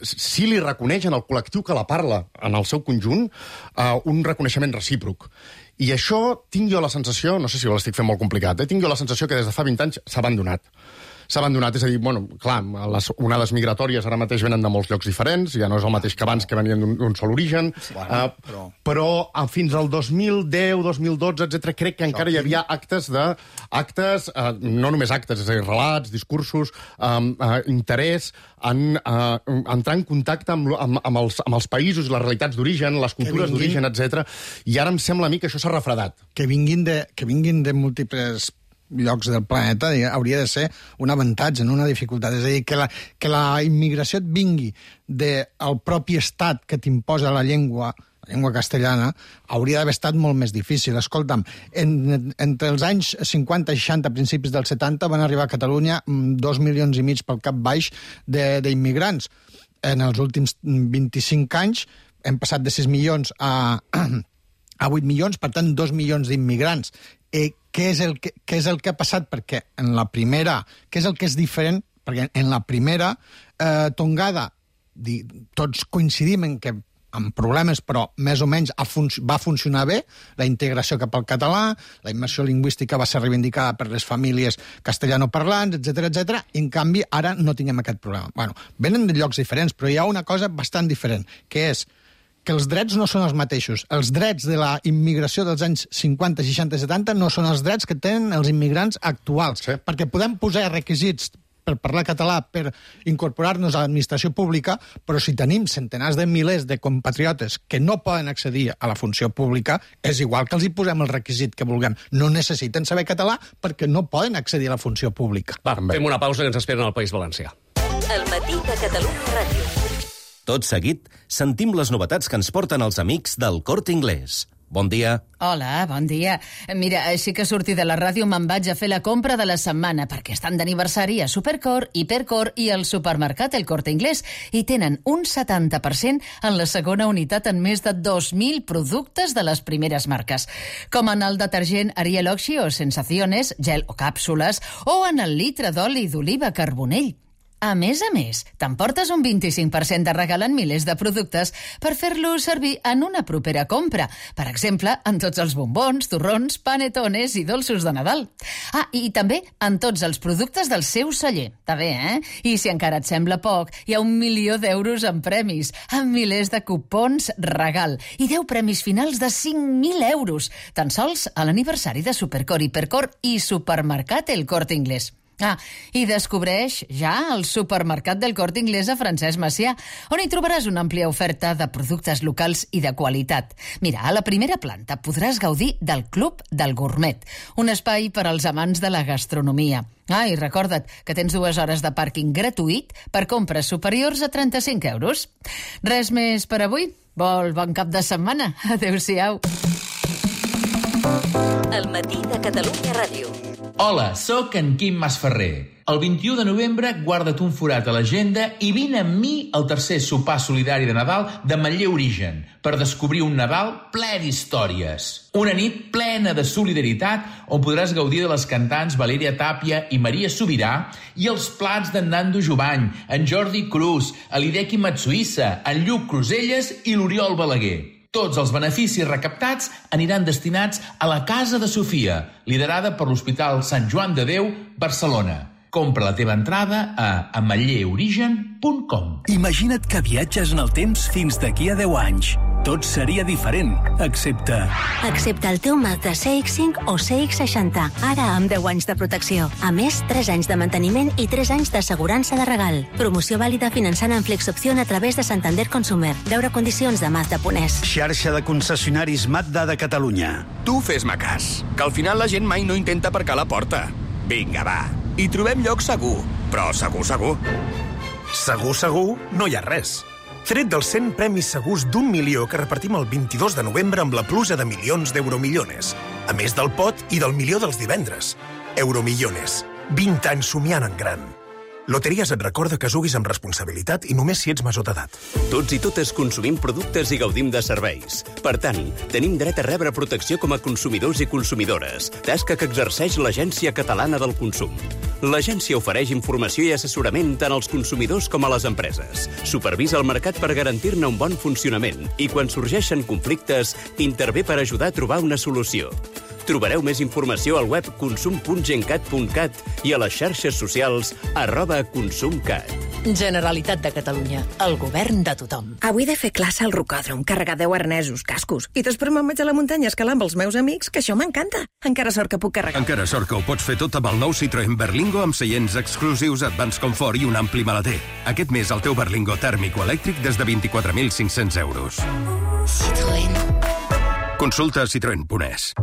[SPEAKER 11] si li reconeixen al col·lectiu que la parla en el seu conjunt un reconeixement recíproc. I això tinc jo la sensació, no sé si ho l'estic fent molt complicat, tinc jo la sensació que des de fa 20 anys s'ha abandonat. És a dir, clar, les onades migratòries ara mateix venen de molts llocs diferents, ja no és el mateix que abans, que venien d'un sol origen, però fins al 2010, 2012, etc., crec que encara hi havia actes, no només actes, és a dir, relats, discursos, interès en entrar en contacte amb els països, les realitats d'origen, les cultures d'origen, etc. I ara em sembla a mi que això s'ha refredat.
[SPEAKER 12] Que vinguin de múltiples llocs del planeta hauria de ser un avantatge, no una dificultat. És a dir, que la immigració et vingui del propi estat que t'imposa la llengua castellana, hauria d'haver estat molt més difícil. Escolta'm, entre els anys 50 i 60, principis dels 70, van arribar a Catalunya 2,5 milions pel cap baix d'immigrants. En els últims 25 anys hem passat de 6 milions a 8 milions, per tant, 2 milions d'immigrants. Què és el que ha passat? Perquè en la primera... Què és el que és diferent? Perquè en la primera tongada tots coincidim en que amb problemes, però més o menys va funcionar bé, la integració cap al català, la immersió lingüística va ser reivindicada per les famílies castellanoparlants, etc. I en canvi ara no tinguem aquest problema. Bueno, venen de llocs diferents, però hi ha una cosa bastant diferent, que és que els drets no són els mateixos. Els drets de la immigració dels anys 50, 60 i 70 no són els drets que tenen els immigrants actuals. Sí. Perquè podem posar requisits per parlar català, per incorporar-nos a l'administració pública, però si tenim centenars de milers de compatriotes que no poden accedir a la funció pública, és igual que els hi posem el requisit que vulguem. No necessiten saber català perquè no poden accedir a la funció pública.
[SPEAKER 2] Va, fem una pausa que ens esperen al País Valencià.
[SPEAKER 6] El matí de Catalunya Ràdio.
[SPEAKER 14] Tot seguit, sentim les novetats que ens porten els amics del Corte Inglés. Bon dia.
[SPEAKER 15] Hola, bon dia. Mira, així que surti de la ràdio me'n vaig a fer la compra de la setmana perquè estan d'aniversari a Supercor, Hipercor i el supermercat El Corte Inglés i tenen un 70% en la segona unitat en més de 2.000 productes de les primeres marques, com en el detergent Ariel Oxy o Sensaciones, gel o càpsules, o en el litre d'oli d'oliva Carbonell. A més, t'emportes un 25% de regal en milers de productes per fer-los servir en una propera compra. Per exemple, en tots els bombons, torrons, panetones i dolços de Nadal. I també en tots els productes del seu celler. Està bé, eh? I si encara et sembla poc, hi ha 1 milió d'euros en premis, amb milers de cupons regal i 10 premis finals de 5.000 euros, tan sols a l'aniversari de Supercor, Hipercor i Supermercat El Corte Inglés. I descobreix ja el supermercat del Corte Inglés a Francesc Macià, on hi trobaràs una àmplia oferta de productes locals i de qualitat. Mira, a la primera planta podràs gaudir del Club del Gourmet, un espai per als amants de la gastronomia. I recorda't que tens 2 hores de pàrquing gratuït per compres superiors a 35 euros. Res més per avui? Bon cap de setmana. Adéu-siau.
[SPEAKER 6] El matí de Catalunya Ràdio.
[SPEAKER 16] Hola, sóc en Quim Masferrer. El 21 de novembre guarda't un forat a l'agenda i vine amb mi al tercer sopar solidari de Nadal de Manlleu Origen per descobrir un Nadal ple d'històries. Una nit plena de solidaritat on podràs gaudir de les cantants Valèria Tàpia i Maria Sobirà i els plats d'en Nando Jovany, en Jordi Cruz, l'Hideki Matsuïssa, en Lluc Cruselles i l'Oriol Balaguer. Tots els beneficis recaptats aniran destinats a la Casa de Sofia, liderada per l'Hospital Sant Joan de Déu, Barcelona. Compra la teva entrada a amalleorigen.com.
[SPEAKER 17] Imagina't que viatges en el temps fins d'aquí a 10 anys. Tot seria diferent, excepte
[SPEAKER 18] el teu Mazda CX-5 o CX-60, ara amb 10 anys de protecció. A més, 3 anys de manteniment i 3 anys d'assegurança de regal. Promoció vàlida finançant en Flexopción a través de Santander Consumer. Veure condicions de Mazda.es.
[SPEAKER 17] Xarxa de concessionaris Mazda de Catalunya.
[SPEAKER 19] Tu fes-me cas, que al final la gent mai no intenta aparcar a la porta. Vinga, va, hi trobem lloc segur, però segur, segur.
[SPEAKER 20] Segur, no hi ha res. Tret dels 100 premis segurs d'1 milió que repartim el 22 de novembre amb la pluja de milions d'Euromillones. A més del pot i del milió dels divendres. Euromillones. 20 anys somiant en gran. Loteries et recorda que juguis amb responsabilitat i només si ets major d'edat.
[SPEAKER 21] Tots i totes consumim productes i gaudim de serveis. Per tant, tenim dret a rebre protecció com a consumidors i consumidores, tasca que exerceix l'Agència Catalana del Consum. L'agència ofereix informació i assessorament tant als consumidors com a les empreses. Supervisa el mercat per garantir-ne un bon funcionament i, quan sorgeixen conflictes, intervé per ajudar a trobar una solució. Trobareu més informació al web consum.gencat.cat i a les xarxes socials @consumcat.
[SPEAKER 22] Generalitat de Catalunya, el govern de tothom.
[SPEAKER 23] Avui he de fer classe al rocòdrom, carregar 10 arnesos, cascos, i després me'n vaig a la muntanya a escalar amb els meus amics, que això m'encanta. Encara sort que puc carregar.
[SPEAKER 3] Encara sort que ho pots fer tot amb el nou Citroën Berlingo amb seients exclusius, Advanced Comfort i un ampli maleter. Aquest mes el teu Berlingo tèrmic o elèctric des de 24.500 euros.
[SPEAKER 23] Citroën.
[SPEAKER 3] Consulta citroen.es.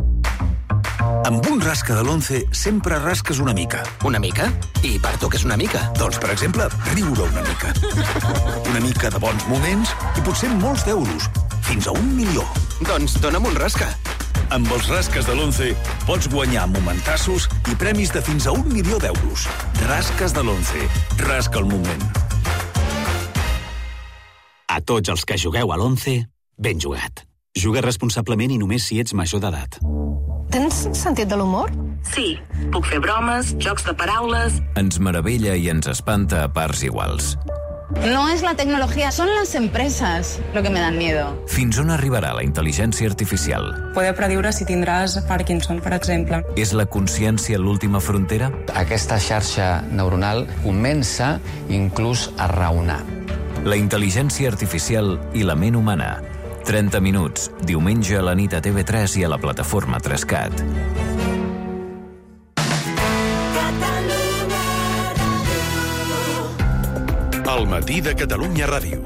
[SPEAKER 17] Amb un rasca de l'11 sempre rasques una mica.
[SPEAKER 19] Una mica? I per tu què és una mica?
[SPEAKER 17] Doncs, per exemple, riure una mica. Una mica de bons moments i potser molts d'euros. Fins a 1 milió.
[SPEAKER 19] Doncs dona'm un rasca.
[SPEAKER 17] Amb els rasques de l'11 pots guanyar momentassos i premis de fins a 1 milió d'euros. Rasques de l'11. Rasca el moment.
[SPEAKER 24] A tots els que jugueu a l'11, ben jugat. Juga responsablement i només si ets major d'edat.
[SPEAKER 25] Tens sentit de l'humor?
[SPEAKER 26] Sí, puc fer bromes, jocs de paraules...
[SPEAKER 27] Ens meravella i ens espanta a parts iguals.
[SPEAKER 28] No es la tecnología, son las empresas lo que me dan miedo.
[SPEAKER 27] Fins on arribarà la intel·ligència artificial?
[SPEAKER 28] Poder prediure si tindràs Parkinson, per exemple.
[SPEAKER 27] És la consciència l'última frontera?
[SPEAKER 29] Aquesta xarxa neuronal comença inclús a raonar.
[SPEAKER 27] La intel·ligència artificial i la ment humana. 30 minuts, diumenge a la nit a TV3 i a la plataforma 3CAT.
[SPEAKER 3] El matí de Catalunya Ràdio.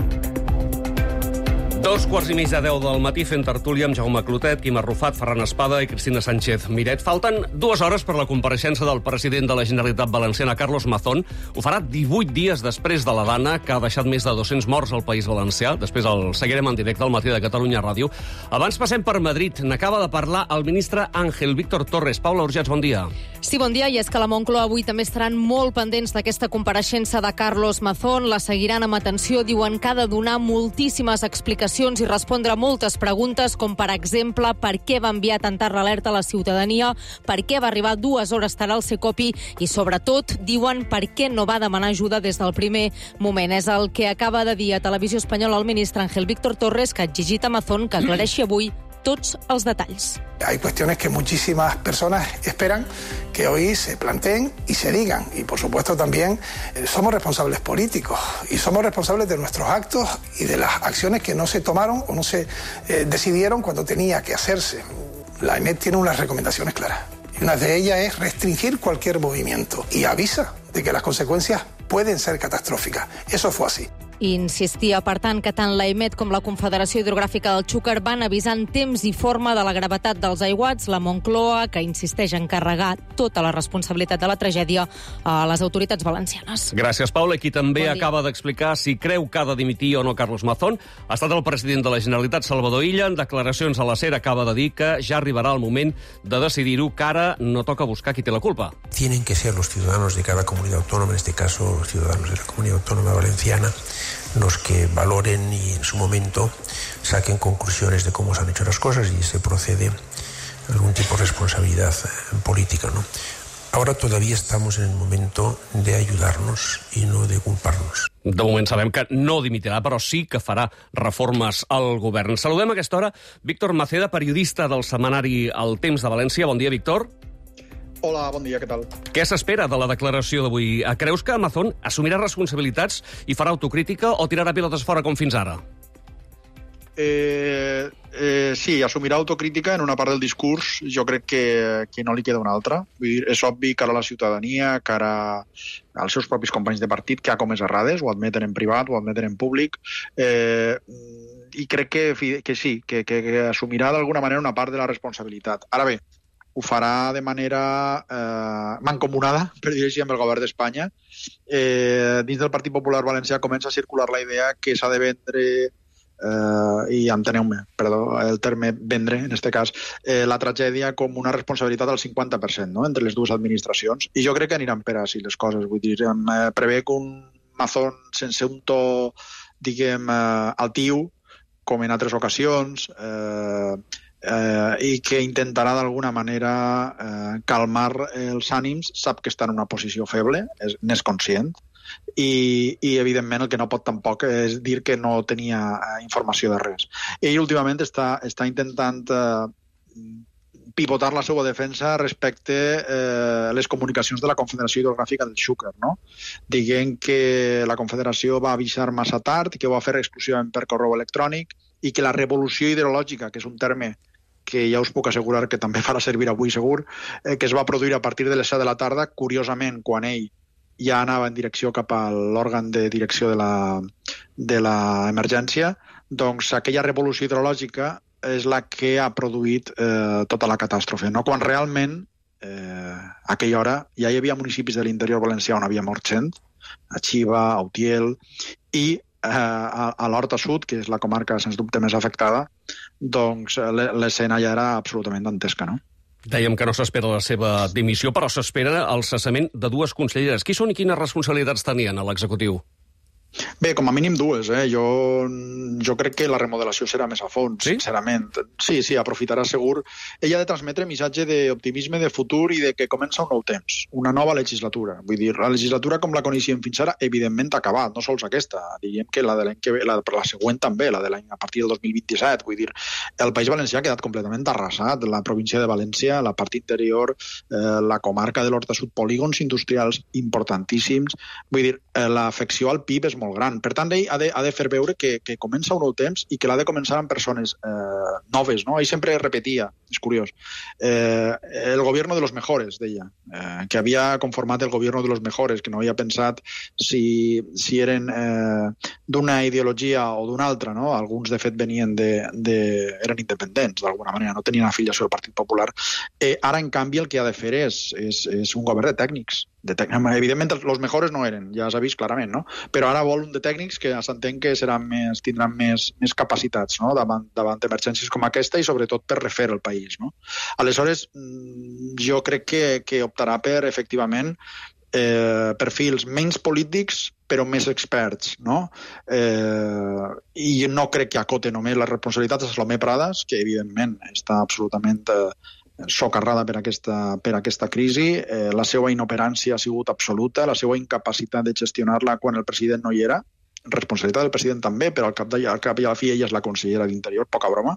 [SPEAKER 2] 2:15 del matí fent tertúlia amb Jaume Clotet, Quim Arrufat, Ferran Espada i Cristina Sánchez Miret. Falten 2 hores per la compareixença del president de la Generalitat Valenciana, Carlos Mazón. Ho farà 18 dies després de la dana que ha deixat més de 200 morts al País Valencià. Després el seguirem en directe al matí de Catalunya Ràdio. Abans passem per Madrid. N'acaba de parlar el ministre Ángel Víctor Torres. Paula Urgets, bon dia.
[SPEAKER 30] Sí, bon dia. I és que la Moncloa avui també estaran molt pendents d'aquesta compareixença de Carlos Mazón. La seguiran amb atenció. Diuen que ha de donar moltíssimes explicacions i respondre a moltes preguntes, com per exemple per què va enviar tanta alerta a la ciutadania, per què va arribar 2 hores tard al Secopi i, sobretot, diuen per què no va demanar ajuda des del primer moment. És el que acaba de dir a Televisió Espanyola el ministre Ángel Víctor Torres, que ha exigit a Mazón que aclareixi avui tots els detalls.
[SPEAKER 31] Hay cuestiones que muchísimas personas esperan que hoy se planteen y se digan. Y, por supuesto, también somos responsables políticos y somos responsables de nuestros actos y de las acciones que no se tomaron o no se decidieron cuando tenía que hacerse. La EMET tiene unas recomendaciones claras. Y una de ellas es restringir cualquier movimiento y avisa de que las consecuencias pueden ser catastróficas. Eso fue así.
[SPEAKER 30] I insistia, per tant, que tant l'AEMET com la Confederació Hidrogràfica del Xúquer van avisar en temps i forma de la gravetat dels aiguats. La Moncloa, que insisteix en carregar tota la responsabilitat de la tragèdia a les autoritats valencianes.
[SPEAKER 2] Gràcies, Paula. Qui també acaba d'explicar si creu que ha de dimitir o no Carlos Mazón ha estat el president de la Generalitat, Salvador Illa. En declaracions a la SER acaba de dir que ja arribarà el moment de decidir-ho, que ara no toca buscar qui té la culpa.
[SPEAKER 1] Tienen que ser los ciudadanos de cada comunidad autónoma, en este caso los ciudadanos de la Comunidad Autónoma Valenciana, los que valoren y en su momento saquen conclusiones de cómo se han hecho las cosas y se procede a algún tipo de responsabilidad política, ¿no? Ahora todavía estamos en el momento de ayudarnos y no de culparnos.
[SPEAKER 2] De moment sabem que no dimitirà, però sí que farà reformes al govern. Saludem a aquesta hora Víctor Maceda, periodista del setmanari El Temps de València. Bon dia, Víctor.
[SPEAKER 4] Hola, bon dia, què tal?
[SPEAKER 2] Què s'espera de la declaració d'avui? Creus que Mazón assumirà responsabilitats i farà autocrítica o tirarà pilotes fora com fins ara?
[SPEAKER 4] Sí, assumirà autocrítica en una part del discurs. Jo crec que no li queda una altra. Vull dir, és obvi cara a la ciutadania, cara als seus propis companys de partit que ha comès errades, ho admeten en privat, ho admeten en públic, i crec que sí, que assumirà d'alguna manera una part de la responsabilitat. Ara bé, ho farà de manera mancomunada, per dir així, amb el govern d'Espanya. Dins del Partit Popular Valencià comença a circular la idea que s'ha de vendre, i enteneu-me, perdó, el terme vendre, en aquest cas, la tragèdia com una responsabilitat del 50%, no?, entre les dues administracions. I jo crec que aniran per així les coses. Vull dir, prevé que un Mazón sense un to, diguem, altiu, com en altres ocasions, i que intentarà d'alguna manera calmar els ànims, sap que està en una posició feble, n'és conscient, i evidentment el que no pot tampoc és dir que no tenia informació de res. Ell últimament està intentant pivotar la seva defensa respecte a les comunicacions de la Confederació Hidrogràfica del Xúquer, no? Dient que la Confederació va avisar massa tard, que ho va fer exclusivament per correu electrònic i que la revolució hidrològica, que és un terme que ja us puc assegurar que també farà servir avui segur, que es va produir a partir de les 7 de la tarda, curiosament, quan ell ja anava en direcció cap a l'òrgan de direcció de l'emergència, doncs aquella revolució hidrològica és la que ha produït tota la catàstrofe, no? Quan realment, a aquella hora, ja hi havia municipis de l'interior valencià on havia mort gent, a Xiva, a Utiel, i a l'Horta Sud, que és la comarca sens dubte més afectada, doncs l'escena ja era absolutament dantesca, no?
[SPEAKER 2] Dèiem que no s'espera la seva dimissió, però s'espera el cessament de dues conselleres. Qui són i quines responsabilitats tenien a l'executiu?
[SPEAKER 4] Bé, com a mínim dues. Jo crec que la remodelació serà més a fons, sincerament. Sí, aprofitarà segur. Ella ha de transmetre missatge d'optimisme de futur i de que comença un nou temps, una nova legislatura. Vull dir, la legislatura com la coneixíem fins ara, evidentment ha acabat, no sols aquesta. Diríem que la de l'any que ve, la següent també, la de l'any a partir del 2027. Vull dir, el País Valencià ha quedat completament arrasat. La província de València, la part interior, la comarca de l'Horta Sud, polígons industrials importantíssims. Vull dir, l'afecció al PIB és molt gran. Per tant, ell ha de fer veure que comença un nou temps i que l'ha de començar amb persones noves, no? Ell sempre repetia, és curiós, el gobierno de los mejores, deia, que havia conformat el gobierno de los mejores, que no havia pensat si eren d'una ideologia o d'una altra, no? Alguns, de fet, eren independents, d'alguna manera, no tenien afiliació al Partit Popular. Ara, en canvi, el que ha de fer és un govern de tècnics. Evidentment, els mejores no eren, ja s'ha vist clarament, no? Però ara vol un de tècnics que s'entén que tindran més capacitats, no? davant d'emergències com aquesta i sobretot per refer el país, no? Aleshores, jo crec que optarà per, efectivament, perfils menys polítics però més experts, no? I no crec que acote només les responsabilitats a Salomé Pradas, que evidentment està absolutament socarrada per aquesta crisi. La seva inoperància ha sigut absoluta, la seva incapacitat de gestionar-la quan el president no hi era, responsabilitat del president també, però al cap i a la fi ella és la consellera d'Interior, poca broma.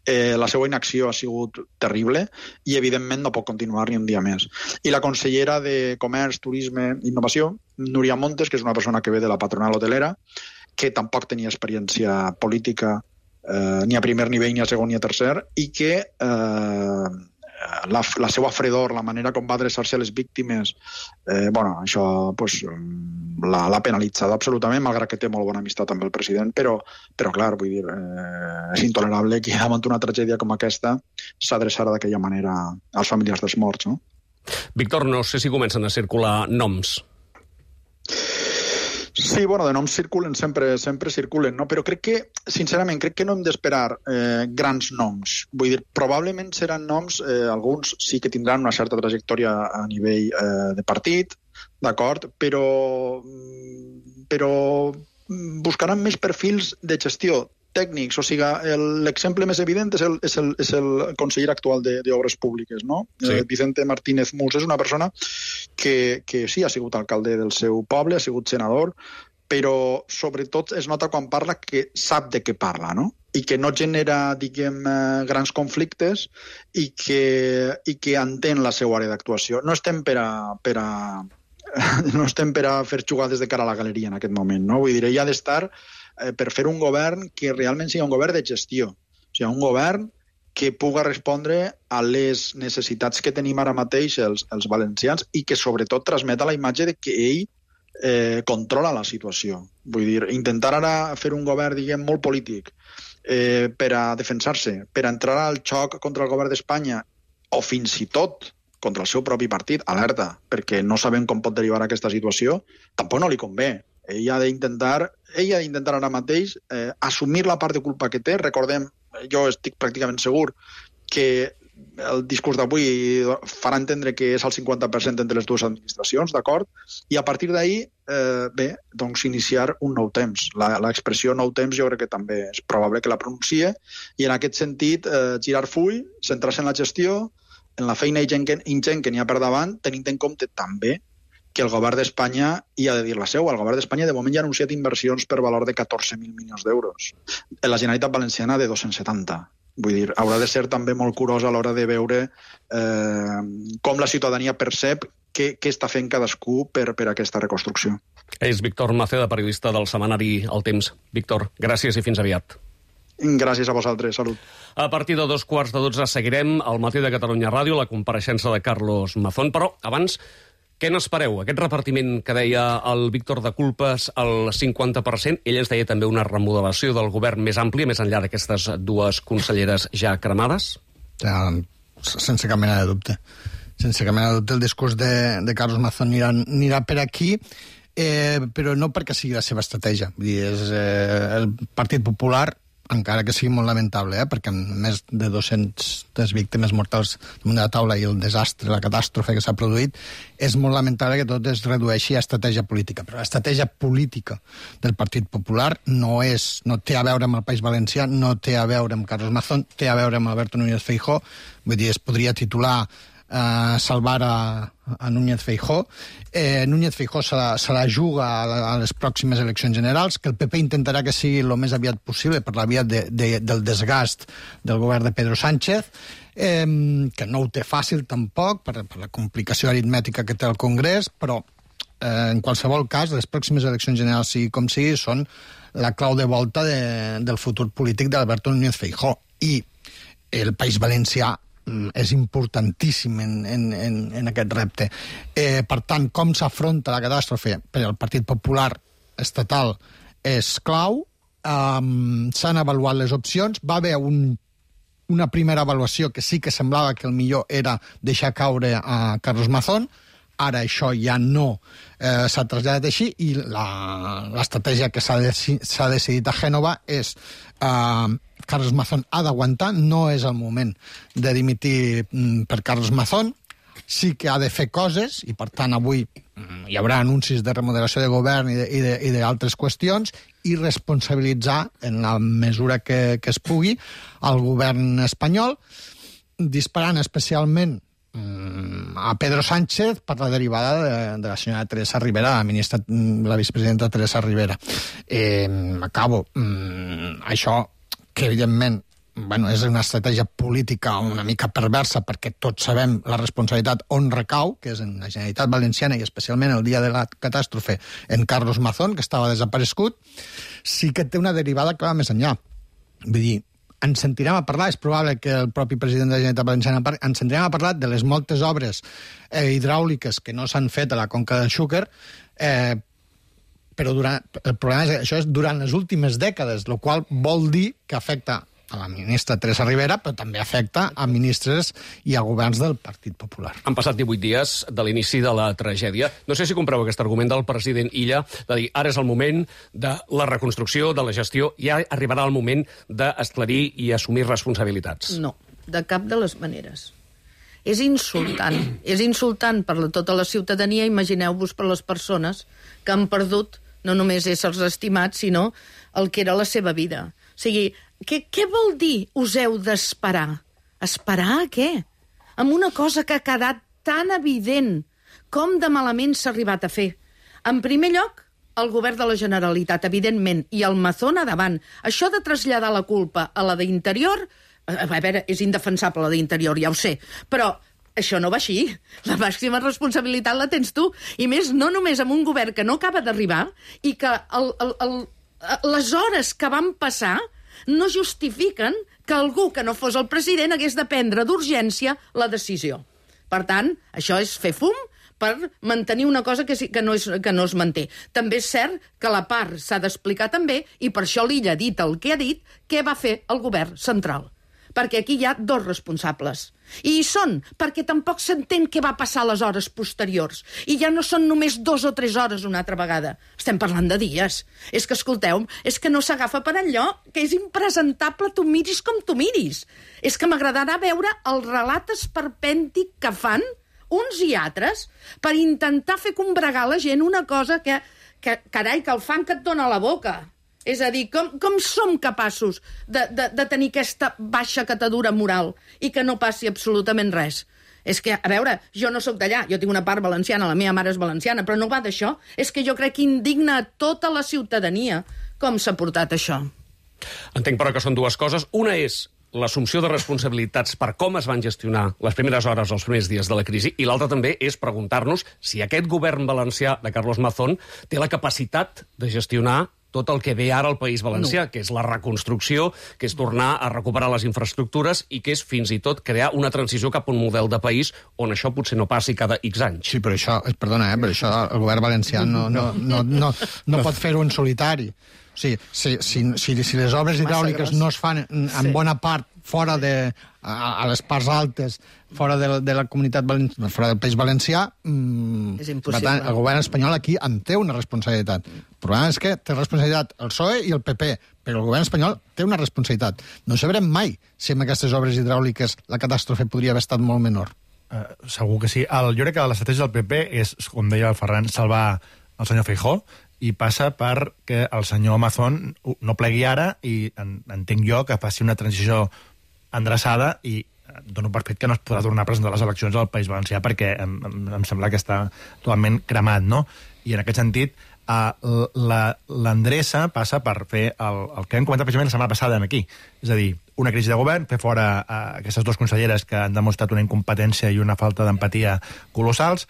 [SPEAKER 4] La seva inacció ha sigut terrible i evidentment no pot continuar ni un dia més. I la consellera de Comerç, Turisme i Innovació, Núria Montes, que és una persona que ve de la patronal hotelera, que tampoc tenia experiència política ni a primer nivell, ni a segon, ni a tercer, i que la seva fredor, la manera com va adreçar-se a les víctimes, això l'ha penalitzat absolutament, malgrat que té molt bona amistat amb el president, però clar, vull dir, és intolerable que davant una tragèdia com aquesta s'adreçara d'aquella manera als familiars dels morts, no?
[SPEAKER 2] Víctor, no sé si comencen a circular noms.
[SPEAKER 4] Sí, de noms circulen, sempre circulen, no? Però sincerament, crec que no hem d'esperar grans noms. Vull dir, probablement seran noms, alguns sí que tindran una certa trajectòria a nivell de partit, d'acord, però buscaran més perfils de gestió tècnics, o sigui, l'exemple més evident és el conseller actual d'Obres Públiques, no? Sí. Vicente Martínez Mus és una persona que sí, ha sigut alcalde del seu poble, ha sigut senador, però sobretot es nota quan parla que sap de què parla, no? I que no genera, grans conflictes i que entén la seva àrea d'actuació. No estem per a fer jugades de cara a la galeria en aquest moment, no? Vull dir, ell ha d'estar per fer un govern que realment sigui un govern de gestió, o sigui, un govern que puga respondre a les necessitats que tenim ara mateix els valencians i que sobretot transmeta la imatge de que ell controla la situació. Vull dir, intentar ara fer un govern, molt polític, per a defensar-se, per a entrar al xoc contra el govern d'Espanya o fins i tot contra el seu propi partit, alerta, perquè no sabem com pot derivar aquesta situació, tampoc no li convé. Ell ha d'intentar ara mateix assumir la part de culpa que té. Recordem, jo estic pràcticament segur que el discurs d'avui farà entendre que és el 50% entre les dues administracions, d'acord? I a partir d'ahir, iniciar un nou temps. L'expressió nou temps jo crec que també és probable que la pronuncie i en aquest sentit girar full, centrar-se en la gestió, en la feina ingent que n'hi ha per davant, tenint en compte també que el govern d'Espanya hi ha de dir la seva. El govern d'Espanya de moment ja ha anunciat inversions per valor de 14.000 milions d'euros. La Generalitat Valenciana de 270. Vull dir, haurà de ser també molt curós a l'hora de veure com la ciutadania percep què està fent cadascú per aquesta reconstrucció.
[SPEAKER 2] És Víctor Maceda, periodista del setmanari El Temps. Víctor, gràcies i fins aviat.
[SPEAKER 4] Gràcies a vosaltres, salut.
[SPEAKER 2] A partir de 11:45 seguirem al Matí de Catalunya Ràdio la compareixença de Carlos Mazón, però abans, què n'espereu? Aquest repartiment que deia el Víctor de culpes al 50%, ell ens deia també una remodelació del govern més àmplia, més enllà d'aquestes dues conselleres ja cremades?
[SPEAKER 5] Sense cap mena de dubte. Sense cap mena de dubte el discurs de Carlos Mazón anirà per aquí, però no perquè sigui la seva estratègia. Vull dir, és el Partit Popular, encara que sigui molt lamentable, perquè amb més de 200 víctimes mortals damunt de la taula i el desastre, la catàstrofe que s'ha produït, és molt lamentable que tot es redueixi a estratègia política. Però l'estratègia política del Partit Popular no té a veure amb el País Valencià, no té a veure amb Carlos Mazón, té a veure amb Alberto Núñez Feijóo. Vull dir, es podria titular salvar a Núñez Feijóo. Núñez Feijóo se la juga a les pròximes eleccions generals, que el PP intentarà que sigui el més aviat possible per la via del desgast del govern de Pedro Sánchez, que no ho té fàcil tampoc per la complicació aritmètica que té el Congrés, però en qualsevol cas les pròximes eleccions generals, sigui com sigui, són la clau de volta del futur polític d'Alberto Núñez Feijóo. I el País Valencià és importantíssim en aquest repte. Per tant, com s'afronta la catàstrofe per al Partit Popular estatal és clau. S'han avaluat les opcions. Va haver una primera avaluació que sí que semblava que el millor era deixar caure a Carlos Mazón. Ara això ja no s'ha traslladat així i l'estratègia que s'ha decidit a Gènova és Carlos Mazón ha d'aguantar, no és el moment de dimitir per Carlos Mazón, sí que ha de fer coses i per tant avui hi haurà anuncis de remodelació de govern i d'altres qüestions i responsabilitzar en la mesura que es pugui al govern espanyol, disparant especialment a Pedro Sánchez per la derivada de la senyora Teresa Rivera, la vicepresidenta Teresa Rivera. Acabo. Això, que evidentment és una estratègia política una mica perversa perquè tots sabem la responsabilitat on recau, que és en la Generalitat Valenciana i especialment el dia de la catàstrofe en Carlos Mazón, que estava desaparegut, sí que té una derivada que va més enllà. Vull dir, ens sentirem a parlar, és probable que el propi president de la Generalitat Valenciana ens sentirem a parlar de les moltes obres hidràuliques que no s'han fet a la conca del Xúquer, però el problema és que això és durant les últimes dècades, el qual vol dir que afecta a la ministra Teresa Rivera, però també afecta a ministres i a governs del Partit Popular.
[SPEAKER 2] Han passat 18 dies de l'inici de la tragèdia. No sé si compreu aquest argument del president Illa de dir ara és el moment de la reconstrucció, de la gestió, ja arribarà el moment d'esclarir i assumir responsabilitats.
[SPEAKER 6] No, de cap de les maneres. És insultant per tota la ciutadania, imagineu-vos per les persones que han perdut no només éssers estimats, sinó el que era la seva vida. O sigui, què vol dir us heu d'esperar? Esperar a què? Amb una cosa que ha quedat tan evident com de malament s'ha arribat a fer. En primer lloc, el govern de la Generalitat, evidentment, i el Mazón a davant. Això de traslladar la culpa a la d'Interior, a veure, és indefensable la d'Interior, ja ho sé, però això no va així. La màxima responsabilitat la tens tu. I més, no només amb un govern que no acaba d'arribar i que les hores que van passar no justifiquen que algú que no fos el president hagués de prendre d'urgència la decisió. Per tant, això és fer fum per mantenir una cosa que no es manté. També és cert que la part s'ha d'explicar també, i per això l'Illa ha dit el que ha dit, què va fer el govern central. Perquè aquí hi ha dos responsables. I hi són, perquè tampoc s'entén què va passar a les hores posteriors. I ja no són només 2 o 3 hores una altra vegada. Estem parlant de dies. És que, escolteu, és que no s'agafa per allò, que és impresentable, tu miris com tu miris. És que m'agradarà veure el relat esperpèntic que fan uns i altres per intentar fer combregar la gent una cosa que carai, que el fang que et dona a la boca. És a dir, com som capaços de tenir aquesta baixa catadura moral i que no passi absolutament res? És que, a veure, jo no sóc d'allà, jo tinc una part valenciana, la meva mare és valenciana, però no va d'això. És que jo crec que indigna a tota la ciutadania com s'ha portat això.
[SPEAKER 2] Entenc, però, que són dues coses. Una és l'assumpció de responsabilitats per com es van gestionar les primeres hores, els primers dies de la crisi, i l'altra també és preguntar-nos si aquest govern valencià de Carlos Mazón té la capacitat de gestionar tot el que ve ara al País Valencià, que és la reconstrucció, que és tornar a recuperar les infraestructures i que és fins i tot crear una transició cap a un model de país on això potser no passi cada X anys.
[SPEAKER 5] Sí, però això, perdona, però això el govern valencià no pot fer-ho en solitari. O sigui, si les obres hidràuliques no es fan en bona part fora a les parts altes, fora de la comunitat valenciana, fora del País Valencià,
[SPEAKER 6] és impossible.
[SPEAKER 5] Per tant, el govern espanyol aquí en té una responsabilitat. El problema és que té responsabilitat el PSOE i el PP, però el govern espanyol té una responsabilitat. No sabrem mai si amb aquestes obres hidràuliques la catàstrofe podria haver estat molt menor.
[SPEAKER 7] Segur que sí. Jo crec que l'estratègia del PP és, com deia el Ferran, salvar el senyor Feijóo, i passa perquè el senyor Mazón no plegui ara i entenc jo que faci una transició endreçada i dono per fet que no es podrà tornar a presentar les eleccions al País Valencià perquè em sembla que està totalment cremat, no? I en aquest sentit, l'endreça passa per fer el que hem comentat precisament la setmana passada aquí. És a dir, una crisi de govern, fer fora aquestes dues conselleres que han demostrat una incompetència i una falta d'empatia colossals,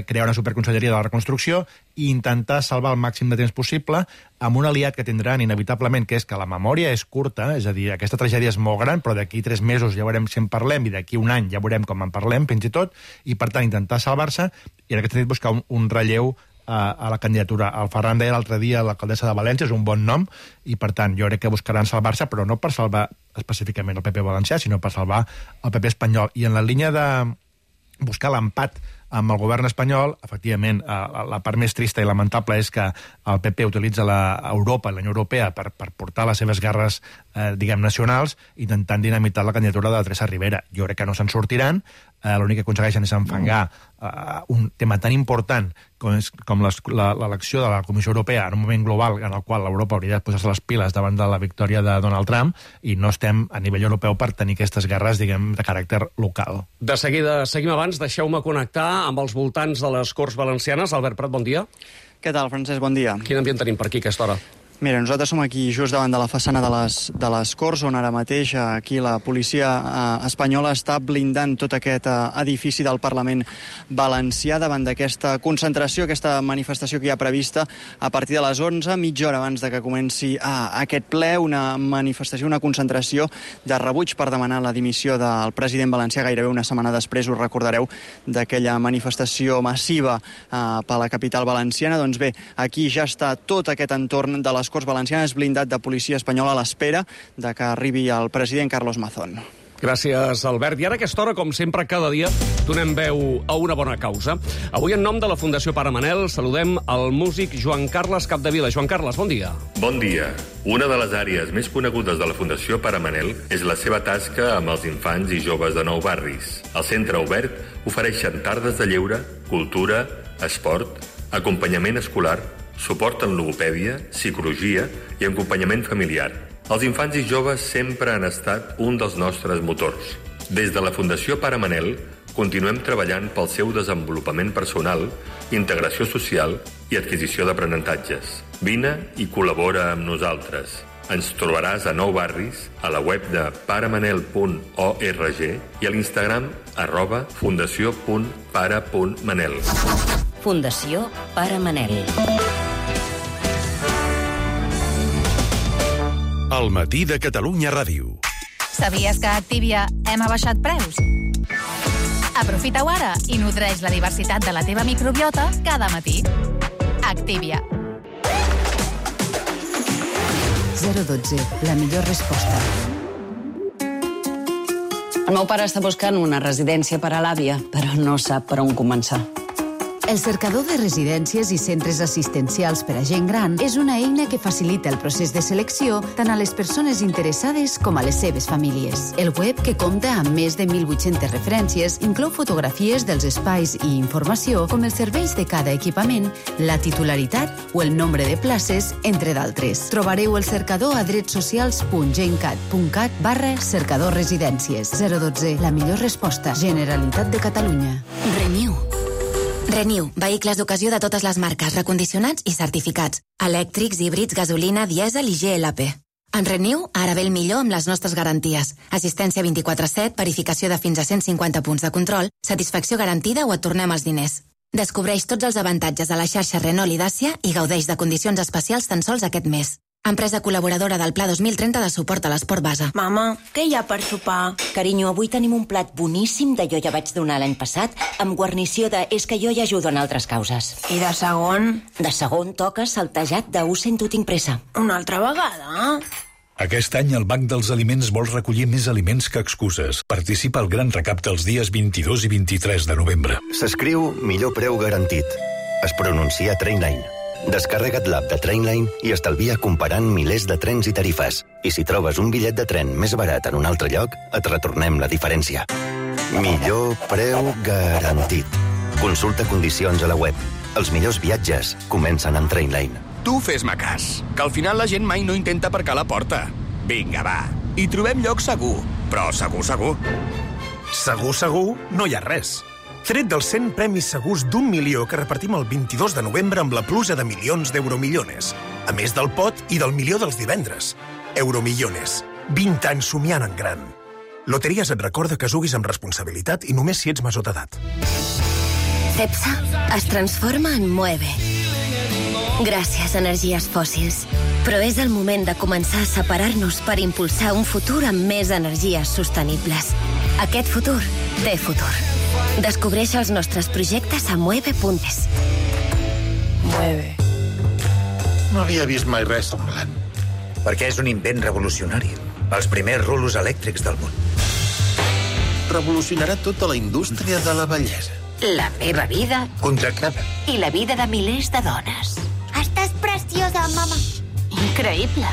[SPEAKER 7] crear una superconselleria de la reconstrucció i intentar salvar el màxim de temps possible amb un aliat que tindran inevitablement, que és que la memòria és curta, és a dir, aquesta tragèdia és molt gran, però d'aquí 3 mesos ja veurem si en parlem i d'aquí un any ja veurem com en parlem, fins i tot, i per tant intentar salvar-se i en aquest sentit buscar un relleu a la candidatura. El Ferran deia l'altre dia l'alcaldessa de València, és un bon nom, i per tant jo crec que buscaran salvar-se, però no per salvar específicament el PP valencià, sinó per salvar el PP espanyol. I en la línia de buscar l'empat amb el govern espanyol, efectivament, la part més trista i lamentable és que el PP utilitza Europa i la Unió Europea per portar les seves guerres, diguem, nacionals, intentant dinamitar la candidatura de Teresa Rivera. Jo crec que no se'n sortiran, l'únic que aconsegueixen és enfangar un tema tan important com l'elecció de la Comissió Europea en un moment global en el qual l'Europa hauria de posar-se les piles davant de la victòria de Donald Trump i no estem a nivell europeu per tenir aquestes guerres, diguem, de caràcter local.
[SPEAKER 2] De seguida, seguim abans, deixeu-me connectar amb els voltants de les Corts Valencianes. Albert Prat, bon dia.
[SPEAKER 8] Què tal, Francesc? Bon dia.
[SPEAKER 2] Quin ambient tenim per aquí a aquesta hora?
[SPEAKER 8] Mira, nosaltres som aquí just davant de la façana de les Corts, on ara mateix aquí la policia espanyola està blindant tot aquest edifici del Parlament valencià davant d'aquesta concentració, aquesta manifestació que hi ha prevista a partir de les 11, mitja hora abans de que comenci aquest ple, una manifestació, una concentració de rebuig per demanar la dimissió del president valencià gairebé una setmana després, us recordareu, d'aquella manifestació massiva per la capital valenciana. Doncs bé, aquí ja està tot aquest entorn de les Corts Valencianes blindat de policia espanyola a l'espera de que arribi el president Carlos Mazón.
[SPEAKER 2] Gràcies, Albert. I ara a aquesta hora, com sempre, cada dia donem veu a una bona causa. Avui, en nom de la Fundació Pare Manel, saludem el músic Joan Carles Capdevila. Joan Carles, bon dia.
[SPEAKER 9] Bon dia. Una de les àrees més conegudes de la Fundació Pare Manel és la seva tasca amb els infants i joves de 9 barris. Al centre obert ofereixen tardes de lleure, cultura, esport, acompanyament escolar, suport en logopèdia, psicologia i acompanyament familiar. Els infants i joves sempre han estat un dels nostres motors. Des de la Fundació Pare Manel continuem treballant pel seu desenvolupament personal, integració social i adquisició d'aprenentatges. Vine i col·labora amb nosaltres. Ens trobaràs a 9 barris, a la web de paremanel.org i a l'Instagram @fundació.pare.manel.
[SPEAKER 22] Fundació Pare Manel.
[SPEAKER 3] El matí de Catalunya Ràdio.
[SPEAKER 28] Sabies que a Activia hem abaixat preus? Aprofita-ho ara i nodreix la diversitat de la teva microbiota cada matí. Activia.
[SPEAKER 10] 012, la millor resposta.
[SPEAKER 11] El meu pare està buscant una residència per a l'àvia, però no sap per on començar.
[SPEAKER 10] El cercador de residències i centres assistencials per a gent gran és una eina que facilita el procés de selecció tant a les persones interessades com a les seves famílies. El web, que compta amb més de 1.800 referències, inclou fotografies dels espais i informació com els serveis de cada equipament, la titularitat o el nombre de places, entre d'altres. Trobareu el cercador a dretsocials.gencat.cat/cercador residències. 012, la millor resposta. Generalitat de Catalunya.
[SPEAKER 12] Renew, vehicles d'ocasió de totes les marques, recondicionats i certificats. Elèctrics, híbrids, gasolina, dièsel i GLP. En Renew, ara ve el millor amb les nostres garanties. Assistència 24/7, verificació de fins a 150 punts de control, satisfacció garantida o et tornem els diners. Descobreix tots els avantatges de la xarxa Renault i Dacia i gaudeix de condicions especials tan sols aquest mes. Empresa col·laboradora del Pla 2030 de suport a l'esport base.
[SPEAKER 13] Mama, què hi ha per sopar?
[SPEAKER 22] Carinyo, avui tenim un plat boníssim de jo ja vaig donar l'any passat, amb guarnició de és que jo ja ajudo en altres causes.
[SPEAKER 13] I de segon?
[SPEAKER 22] De segon toca saltejat de ho sento tinc pressa.
[SPEAKER 13] Una altra vegada?
[SPEAKER 17] Aquest any el Banc dels Aliments vol recollir més aliments que excuses. Participa al gran recapte els dies 22 i 23 de novembre.
[SPEAKER 14] S'escriu millor preu garantit. Es pronuncia Trainline. Descarrega't l'app de Trainline i estalvia comparant milers de trens i tarifes. I si trobes un bitllet de tren més barat en un altre lloc, et retornem la diferència. Millor preu garantit. Consulta condicions a la web. Els millors viatges comencen en Trainline.
[SPEAKER 19] Tu fes-me cas, que al final la gent mai no intenta aparcar a la porta. Vinga, va. I trobem lloc segur, però segur, segur.
[SPEAKER 15] Segur, no hi ha res. Tret dels 100 premis segurs d'1 milió que repartim el 22 de novembre amb la pluja de milions d'euromillones. A més del pot i del milió dels divendres. Euromillones. 20 anys somiant en gran. Loteries et recorda que juguis amb responsabilitat i només si ets major d'edat.
[SPEAKER 13] Cepsa es transforma en Moeve. Gràcies, energies fòssils. Però és el moment de començar a separar-nos per impulsar un futur amb més energies sostenibles. Aquest futur té futur. Descobreix els nostres projectes a mueve.es.
[SPEAKER 16] Mueve. No havia vist mai res semblant.
[SPEAKER 18] Perquè és un invent revolucionari. Els primers rulos elèctrics del món.
[SPEAKER 16] Revolucionarà tota la indústria de la bellesa.
[SPEAKER 13] La meva vida.
[SPEAKER 16] Contractada.
[SPEAKER 13] I la vida de milers de dones.
[SPEAKER 20] Estàs preciosa, mama.
[SPEAKER 13] Increïble.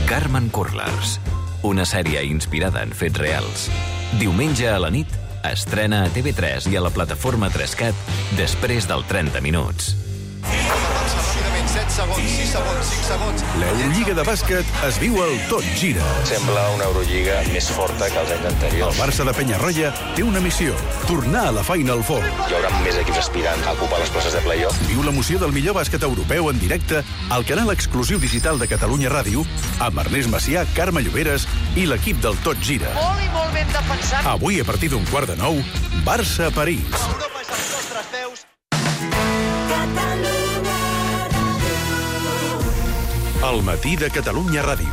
[SPEAKER 27] Carmen Curlers, una sèrie inspirada en fets reals. Diumenge a la nit, estrena a TV3 i a la plataforma 3CAT després del 30 minuts.
[SPEAKER 32] Avança ràpidament, 7
[SPEAKER 1] segons, 6 segons, 5 segons.
[SPEAKER 3] L'Eurolliga de bàsquet es viu al Tot Gira.
[SPEAKER 4] Sembla una Eurolliga més forta que els anys anteriors.
[SPEAKER 3] El Barça de Penyarroia té una missió: tornar a la Final Four.
[SPEAKER 4] Hi haurà més equips aspirant a ocupar les places de play-off.
[SPEAKER 3] Viu l'emoció del millor bàsquet europeu en directe al canal exclusiu digital de Catalunya Ràdio amb Ernest Macià, Carme Lloberes i l'equip del Tot Gira.
[SPEAKER 6] Molt i molt ben defensat.
[SPEAKER 3] Avui, a partir d'un 8:45, Barça-París.
[SPEAKER 6] Europa és als nostres peus.
[SPEAKER 3] El matí de Catalunya Ràdio.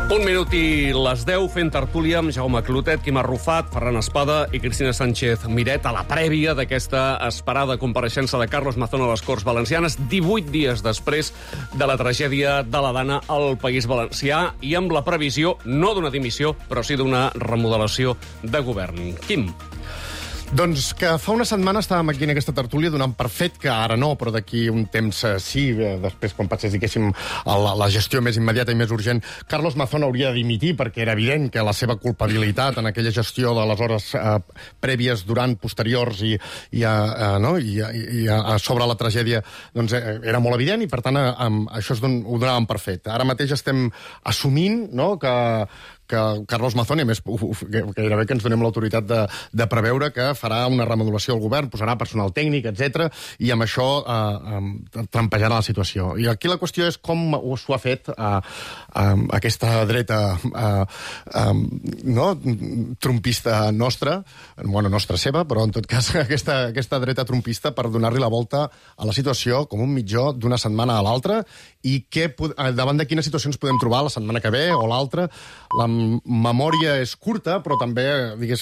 [SPEAKER 2] 1 minut i les 10, fent tertúlia amb Jaume Clotet, Quim Arrufat, Ferran Espada i Cristina Sánchez Miret a la prèvia d'aquesta esperada compareixença de Carlos Mazón a les Corts Valencianes, 18 dies després de la tragèdia de la Dana al País Valencià i amb la previsió, no d'una dimissió, però sí d'una remodelació de govern. Quim.
[SPEAKER 6] Doncs que fa una setmana estàvem aquí en aquesta tertúlia donant per fet que ara no, però d'aquí un temps sí, després quan passés, diguéssim, la gestió més immediata i més urgent, Carlos Mazón hauria de dimitir perquè era evident que la seva culpabilitat en aquella gestió de les hores prèvies, durant, posteriors i sobre la tragèdia doncs, era molt evident i, per tant, això ho donàvem per fet. Ara mateix estem assumint, no?, que Carlos Mazón, i a més gairebé que ens donem l'autoritat de preveure que farà una remodelació al govern, posarà personal tècnic, etc, i amb això trampejarà la situació. I aquí la qüestió és com s'ho ha fet aquesta dreta trumpista nostra, bueno, nostra seva, però en tot cas aquesta dreta trumpista per donar-li la volta a la situació com un mitjó d'una setmana a l'altra i davant de quines situacions podem trobar la setmana que ve o l'altra. La memòria és curta, però també, digués,